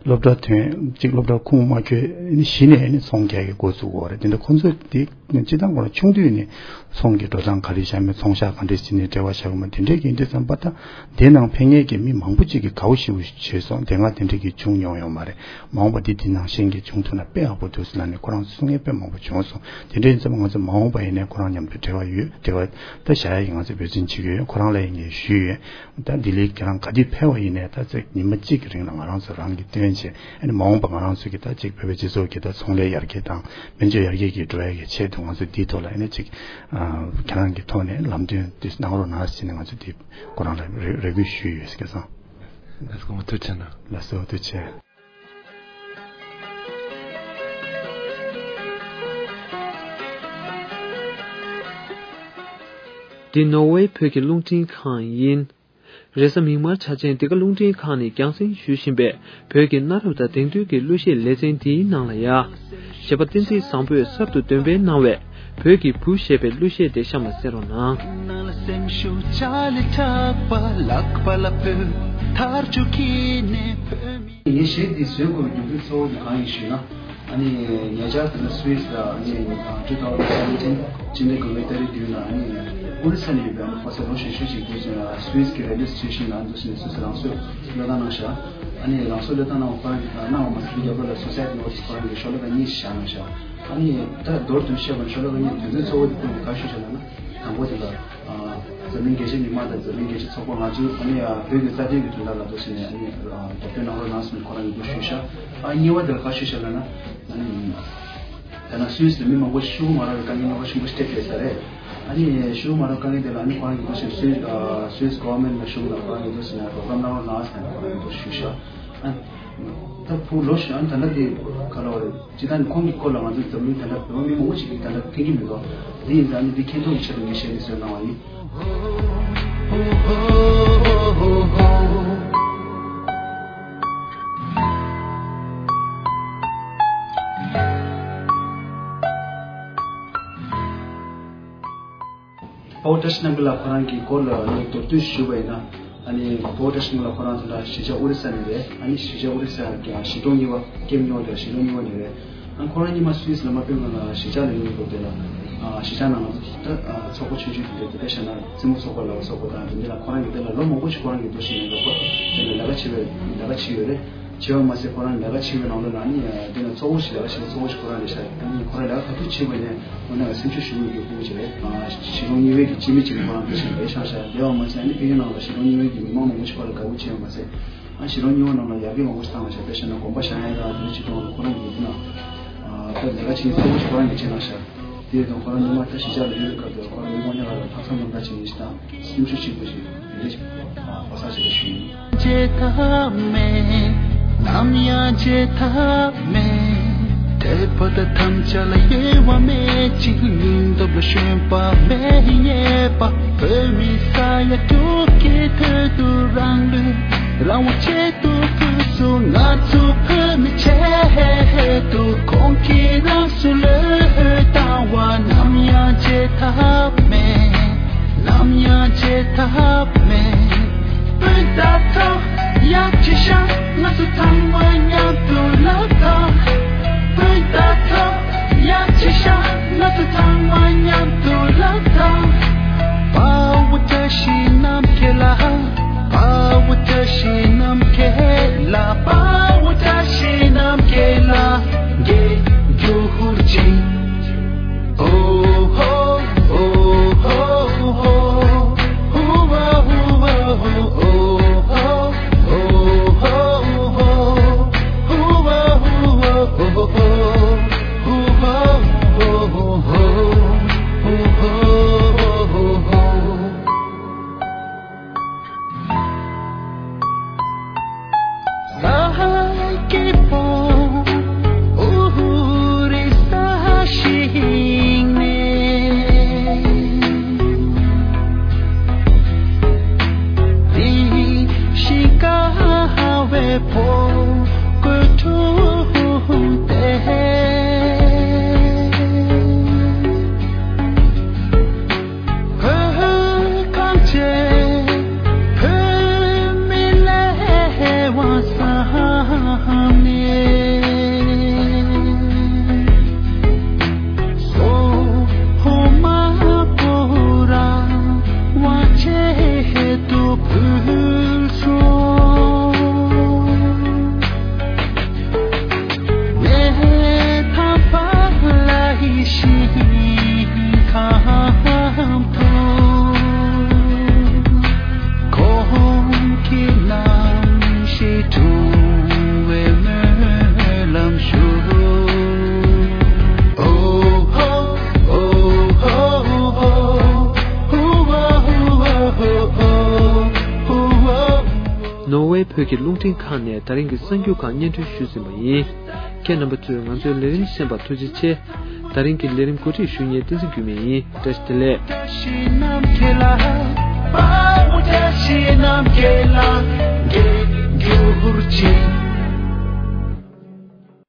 སློབ་གྲྭ་ཐོན་གཅིག་སློབ་གྲྭ་ཁུངས་མ་འཁྱོལ་ནི་གཞི་ནས་ནི་ཚོང་རྒྱག་གི་འགོ་ཚུགས་ཡོད་རེད། དེ་འདྲ་ཁོ་ཚོ་དེ་སྤྱི་བཏང་ཁོ་རང་ཆུང་དུས་ནས་ཚོང་གི་འགྲོ་སྟངས་ག་རེ་བྱ་མེད་ཚོང་ཤག་ག་འདྲས་བྱས་ནས་འབྲེལ་བ་བྱ་དགོས་མ་དེ་འདྲས་ཀྱི་ཡིན་དུས་ཙམ་པ་ད་དེ་ནང་ཕན་ངེས་ཀྱི་མི་མང་པོ་གཅིག་གིས་དགའ་བོ་ཞེ་པོ་བྱས་སོང་། དེ་སྔ་དེ་འདྲས་ཀྱི་བྱུང་མྱོང་ཡོད་མ་རེད། མ་འོངས་པ་འདི་དེ་ནང་བཞིན་གྱི་བྱུང་ཐུབ་ན་དཔེ་ཡག་པོ་འདུག་ཟེར་ལབ་ནས་ཁོ་རང་ཚོ་གསུང་མཁན་དཔེ་མང་པོ་བྱུང་སོང་། དེ་འདྲ་ཡིན་ཙང་ང་ཚོ་མ་འོངས་པ་ཡིན་ནའི་ཁོ་རང་མཉམ་དུ་འབྲེལ་བ་ཡོད། འབྲེལ་བ་ད་བཞག་ཡ་ཡིན། ང་ཚོ་འབད་བརྩོན་བྱེད་ཀྱི་ཡོད། ཁོ་རང་ལ་ཡང་ངས་ཞུས་ཡོད། ད་ལྡི་ལི་ཁྱེད་རང་ག་དུས་ཕེབས་པ་ཡིན་ནའི་ད་ཚེ་ཉི་མ་གཅིག་གི་རིང་ལ་ང་རང་ཚོ་རང་གི་སྟོན་བྱས་ཨ་ནི་མ་འོངས་པ་ང་རང་ཚོ་གི་ད་ཅིག་བོད་པའི་སྤྱི་ཚོགས་ཀྱི་ད་ཚོང་ལས་ཡར་རྒྱས་དང་དཔལ་འབྱོར་ཡར་རྒྱས་ཀྱི་འགྲོ་ཡ་གི་ཆེད་དུ་ང་ཚོ་འདིའི་ཐོག་ལ་ཨ་ནི་ཅིག་ཁྱེད་རང་གི་ཐོག་ནས་ལམ་སྟོན་དེ་གནང་རོགས་གནང་ཟེར་ནས་ང་ཚོ་འདི་ཁོ་རང་ལ་རེ་རེ་སྐུལ་ཞུས་ཡོད་སྐལ་བཟང་། ལགས་སོ་ཐུགས་རྗེ་ཆེ་གནང་། ལགས་སོ་ཐུགས་རྗེ་ཆེ། འདི་ནོར་ཝེ་བོད་ཀྱི་རླུང་འཕྲིན་ཁང་ཡིན། རེས་གཟའ་མིག་དམར་འཆར་ཅན་འདི་ག་རླུང་འཕྲིན་ཁང་ནས་རྒྱང་སྲིང་ཞུ་བཞིན་པའི་བོད་ཀྱི་གནའ་རབས་དང་དེང་དུས་ཀྱི་གླུ་གཞས་ལེ་ཚན་འདིའི་ནང་ལ་ཡ། གཞས་པ་བསྟན་འཛིན་བཟང་པོས་གསར་དུ་འདོན་སྤེལ་གནང་བའི་བོད་ཀྱི་བུ་ཞེས་པའི་གླུ་གཞས་དེ་གཤམ་ལ་གསན་རོགས་གནང་། ངའི་གཞས་འདི་བཟོས་དགོས་པའི་མྱོང་འདུན་གཙོ་བོ་དེ་གང་ཡིན་ཞུས་ན། ཨ་ནི་ཉེ་ཆར་དེ་ལ་སུད་སི་ལ་ཨ་ནི་two thousand seventeen སྤྱི་ཟླ་དགུ་པའི་ཏ་རིག་བདུན་ལ་ཨ་ནི་ཨོ་རི་ས་ནས་ཡོད་པའི་ཨ་ནི་ཕོ་གསར་ལོ་གཞོན་ཤོས་ཤིག་གིས་སུད་སི་གི་རེ་ཌིའོ་སི་ཊེ་ཤན་ལ་ཨ་ནི་འདུག་སེ་ནས་སུད་སི་རང་སྲོག་བློས་བཏང་གནང་ཤག་ཨ་ནི་རང་སྲོག་བློས་བཏང་གནང་བ་ཁོ་རང་གིས་གནང་བ་མ་ཟད་རྒྱབ་ལོགས་ལ་སུའི་སའེ་ཌི་ནོ་ཊི་སི་ཁོ་རང་གིས་ཤོ་ལོ་ཀ་གཉིས་ཤིག་བཞག་གནང་ཤག་ཨ་ནི་ད་མདོར་བསྡུས་བཤད་པ་ན་ཤོ་ལོ་ཀ་གཉིས་དོན་ཚན་གཙོ་བོ་དེ་ཁོང་གིས་ག་རེ་ཞུས་ཤག་ལབ་ན། དང་པོ་དེ་ལ་ཨ་འཛམ་གླིང་རྒྱལ་སྤྱིའི་མི་མང་དང་འཛམ་གླིང་རྒྱལ་སྤྱིའི་ཚོགས་པ་ང་ཚོའི་ཨ་ནི་ཨ་བོད་ཀྱི་རྩ་དོན་གྱི་དོན་དག་ལ་འདུག་ཟེར་ནས་ཨ་ནི་ཨ་རྒྱབ་སྐྱོར་གནང་རོགས་གནང་ཟེར་ནས་ཁོ་རང་གི་འདུག་ཞུས་ཤག་ཨ་གཉིས་པ་དེ་ལ་ག་ཞུས་ཤག་ལབ་ན་ཨ་ནི། ད་ནང་སུད་སི་ལ་མི་མང་པོ་ཤི་མ་རག་པའི་དཀའ་ངལ་རྣམ་པ་ཆེན་པོ་ཞིག་འཕྲད་བསྡད་ས་རེད། ཨ་ནི་ཤི་མ་རག་དཀའ་ངལ་དེ་ལ་ཨ་ནི་ཁོ་རང་གིས་འདུག་ཟེར་སུད་ཨ་སུད་སི་གོ་ཝར་མེན་ཊི་ལ་གཞུང་ལ་ཁོ་རང་གིས་འདུག་ཟེར་ནས་རོགས་རམ་གནང་རོགས་གནང་ཟེར་ནས་ཁོ་རང་གིས་འདུག་ཞུས་ཤག་ཨ་ད་ཕུ་ལོ་ཞིག་ཨ་ནི་ད་ལྟ་དེ་ག་ལ་བ་རེད། སྤྱིར་བཏང་ནི་ཁོང་གི་སྐོར་ལ་ང་ཚོ་འཛམ་གླིང་ད་ལྟ་བོད་པ་མི་མང་པོ་ཞིག་གིས་ད་ལྟ་མཁྱེན་གྱི་མི་འདུག་འདི་ཡིན་ཙང་ཨ་ནི་འདི་མཁྱེན་རྟོགས་ཀྱི་ཆེད་དུ་ངས་ཞལ་འདི་བཟོས་གནང་བ་ཡིན། དཔའ་བོ་བཀྲ་ཤིས་རྣམ་རྒྱལ་ལགས་ཁོ་རང་གི་སྐོར་ལ་ཨ་ནི་མདོར་བསྡུས་ཞུས་པ་ཡིན་ན། ཨ་ནི་དཔའ་བོ་བཀྲ་ཤིས་རྣམ་རྒྱལ་ལགས་ཁོ་རང་དེ་འདྲ་གཞིས་ཆགས་ཨོ་རི་ས་ནས་རེད། ཨ་ནི་གཞིས་ཆགས་ཨོ་རི་ས་ཀྱི་གཞིས་གྲོང་གཉིས་པ་ཀེམ་གཉིས་པ་དེ་ལ་གཞིས་གྲོང་གཉིས་པ་ནས་རེད། ཨ་ཁོ་རང་ཉི་མ་སུད་སི་ལ་མ་ཕེབས་སྔོན་ལ་གཞིས་ཆགས་ལ་ཡོང་སྐབས་དེ་ལ་ཨ་གཞིས་ཆགས་ནང་ང་ཚོ་ད་ཨ་ཚོགས་པ་ཆུང་ཆུང་དེ་འདྲ་དེ་འདྲ་བྱས་ན་རྩེད་མོ་ཚོགས་པ་ལ་ཚོགས་པ་དང་དེ་འདྲ་ལ་ཁོ་རང་གིས་དེ་ལ་ལོ་མང་པོ་ཞིག་ཁོ་རང་གིས་འདུག་ཟེར་ནས་ལོ་ཁོ་དེ་ལ་ལས་ཀ་བྱེད་པའི་ལས་ཀ་བྱེད་ཡོད་རེད། བྱས་པ་མ་ཟད་ཁོ་རང་ལས་ཀ་བྱེད་པའི་ནང་ལོགས་ལ་ནི་དེ་ནས་ཚོགས་པ་ཞིག་ལས་ཀ་བྱེད་ཚོགས་པ་ཞིག་ཁོ་རང་ལས་ཤག་ཨ་ནི་ཁོ་རང་ལས་ཀ་ག་དུས་བྱེད་པ་ནས་ཁོ་ན་ལ་སེམས་ཤུགས་ཞུ་མི་དགོས་ཁུལ་བྱས་རེད། གཞིས་གྲོང་གཉིས་པའི་གི་སྤྱི་མི་གཅིག་ཁོ་རང་དེ་བཞིན་ལས་ཤག་ཤག་དེ་བ་མ་ཟད་ཨ་ནི་ཕ་གི་ནང་ལ་གཞིས་གྲོང་གཉིས་པའི་གི་མི་མང་མང་པོ་ཞིག་ཁོ་ལ་དགའ་པོ་བྱས་པ་མ་ཟད། ཨ་གཞིས་གྲོང་གཉིས་པ་ནང་ལ་ཡར་རྒྱས་མང་པོ་ཞིག་བཏང་ལ་ཤག་དཔེ་བཤད་ན་དགོན་པ་བཞེངས་ཡ་དང་དེ་འདྲ་བྱེད་སྟངས་ལ་ཁོ་རང་གི་དེ་ན་ད་ལས་ཀ་བྱེད་མཁན་ཚོགས་པ་ཞིག་ཁོ་རང་གིས་བྱས་གནང་ཤག་དེ་དང་ཁོ་རང་ཉི་མ་ད་གཞིས་ཆགས་ལ་ཡོད་སྐབས་དེ་ཁོ་རང་མི་དབང་ཉག་ག་ལ་ལྷག་བསམ་རྣམ་དག་བྱེད་མཁན་ཞིག་དང་སེམས་ཤུགས་ཆེན་པོ་ཞིག་དེ་འདྲ་ཞིག་ཨ་བག་ཆགས་ཆེན་པོ་ཞིག་ཡིན། བརྗེད་ཐབས་མེད། ནམ་ཡང་བརྗེད་ཐབས་མེད། དད་པ་དང་དམ་བཅའ་ལ་གཡེལ་བ་མེད་ཅིང་སྙིང་སྟོབས་ལ་ཞོན་པ་མེད་ཡིན་ངེས་པ། བོད་མི་ས་ཡ་དྲུག་གི་དོན་དུ་རང་ལུས་རང་དབང་ཆེད་དུ་ཕུལ་སོང་། ང་ཚོ་བོད་མི་ཆེད་དུ་ཁོང་གིས་རང་སྲོག་བློས་བཏང་བ་ནམ་ཡང་བརྗེད་ཐབས་མེད། ནམ་ཡང་བརྗེད་ཐབས་མེད། སྤུན་ཟླ་ཚོ་ཡར་གྱིས་ཤོག་ང་ཚོ་ཚང་མ་མཉམ་དུ་ལག་གདང་། སྤུན་ཟླ་ཚོ་ཡར་གྱིས་ཤོག་ང་ཚོ་ཚང་མ་མཉམ་དུ་ལག་གདང་། དཔའ་བོ་བཀྲ་ཤིས་རྣམ་རྒྱལ་ལགས། དཔའ་བོ་བཀྲ་ཤིས་རྣམ་རྒྱལ་ལགས། དཔའ་བོ་བཀྲ་ཤིས་རྣམ་རྒྱལ་ལགས། རྒྱལ་གྱུར་ཅིག་བོད་གངས་ཅན་བོད་མི་ལས་དབང་བསམ་ནས། སོ་ཧོ་མ་པོ་ར་དབང་ཆེད་དུ་ཕུལ་སོང་། ནོར་ཝེ་བོད་ཀྱི་རླུང་འཕྲིན་ཁང་ནས་ད་རིང་གི་གསར་འགྱུར་ཁག་སྙན་སྒྲོན་ཞུས་ཟིན་པ་ཡིན། ཁྱེད་རྣམ་པ་ཚོས་ང་ཚོའི་ལས་རིམ་གསན་པར་ཐུགས་རྗེ་ཆེ། ད་རིང་གི་ལས་རིམ་གོ་སྒྲིག་ཞུ་མཁན་བསྟན་འཛིན་འགྱུར་མེད་ཡིན། བཀྲ་ཤིས་བདེ་ལེགས།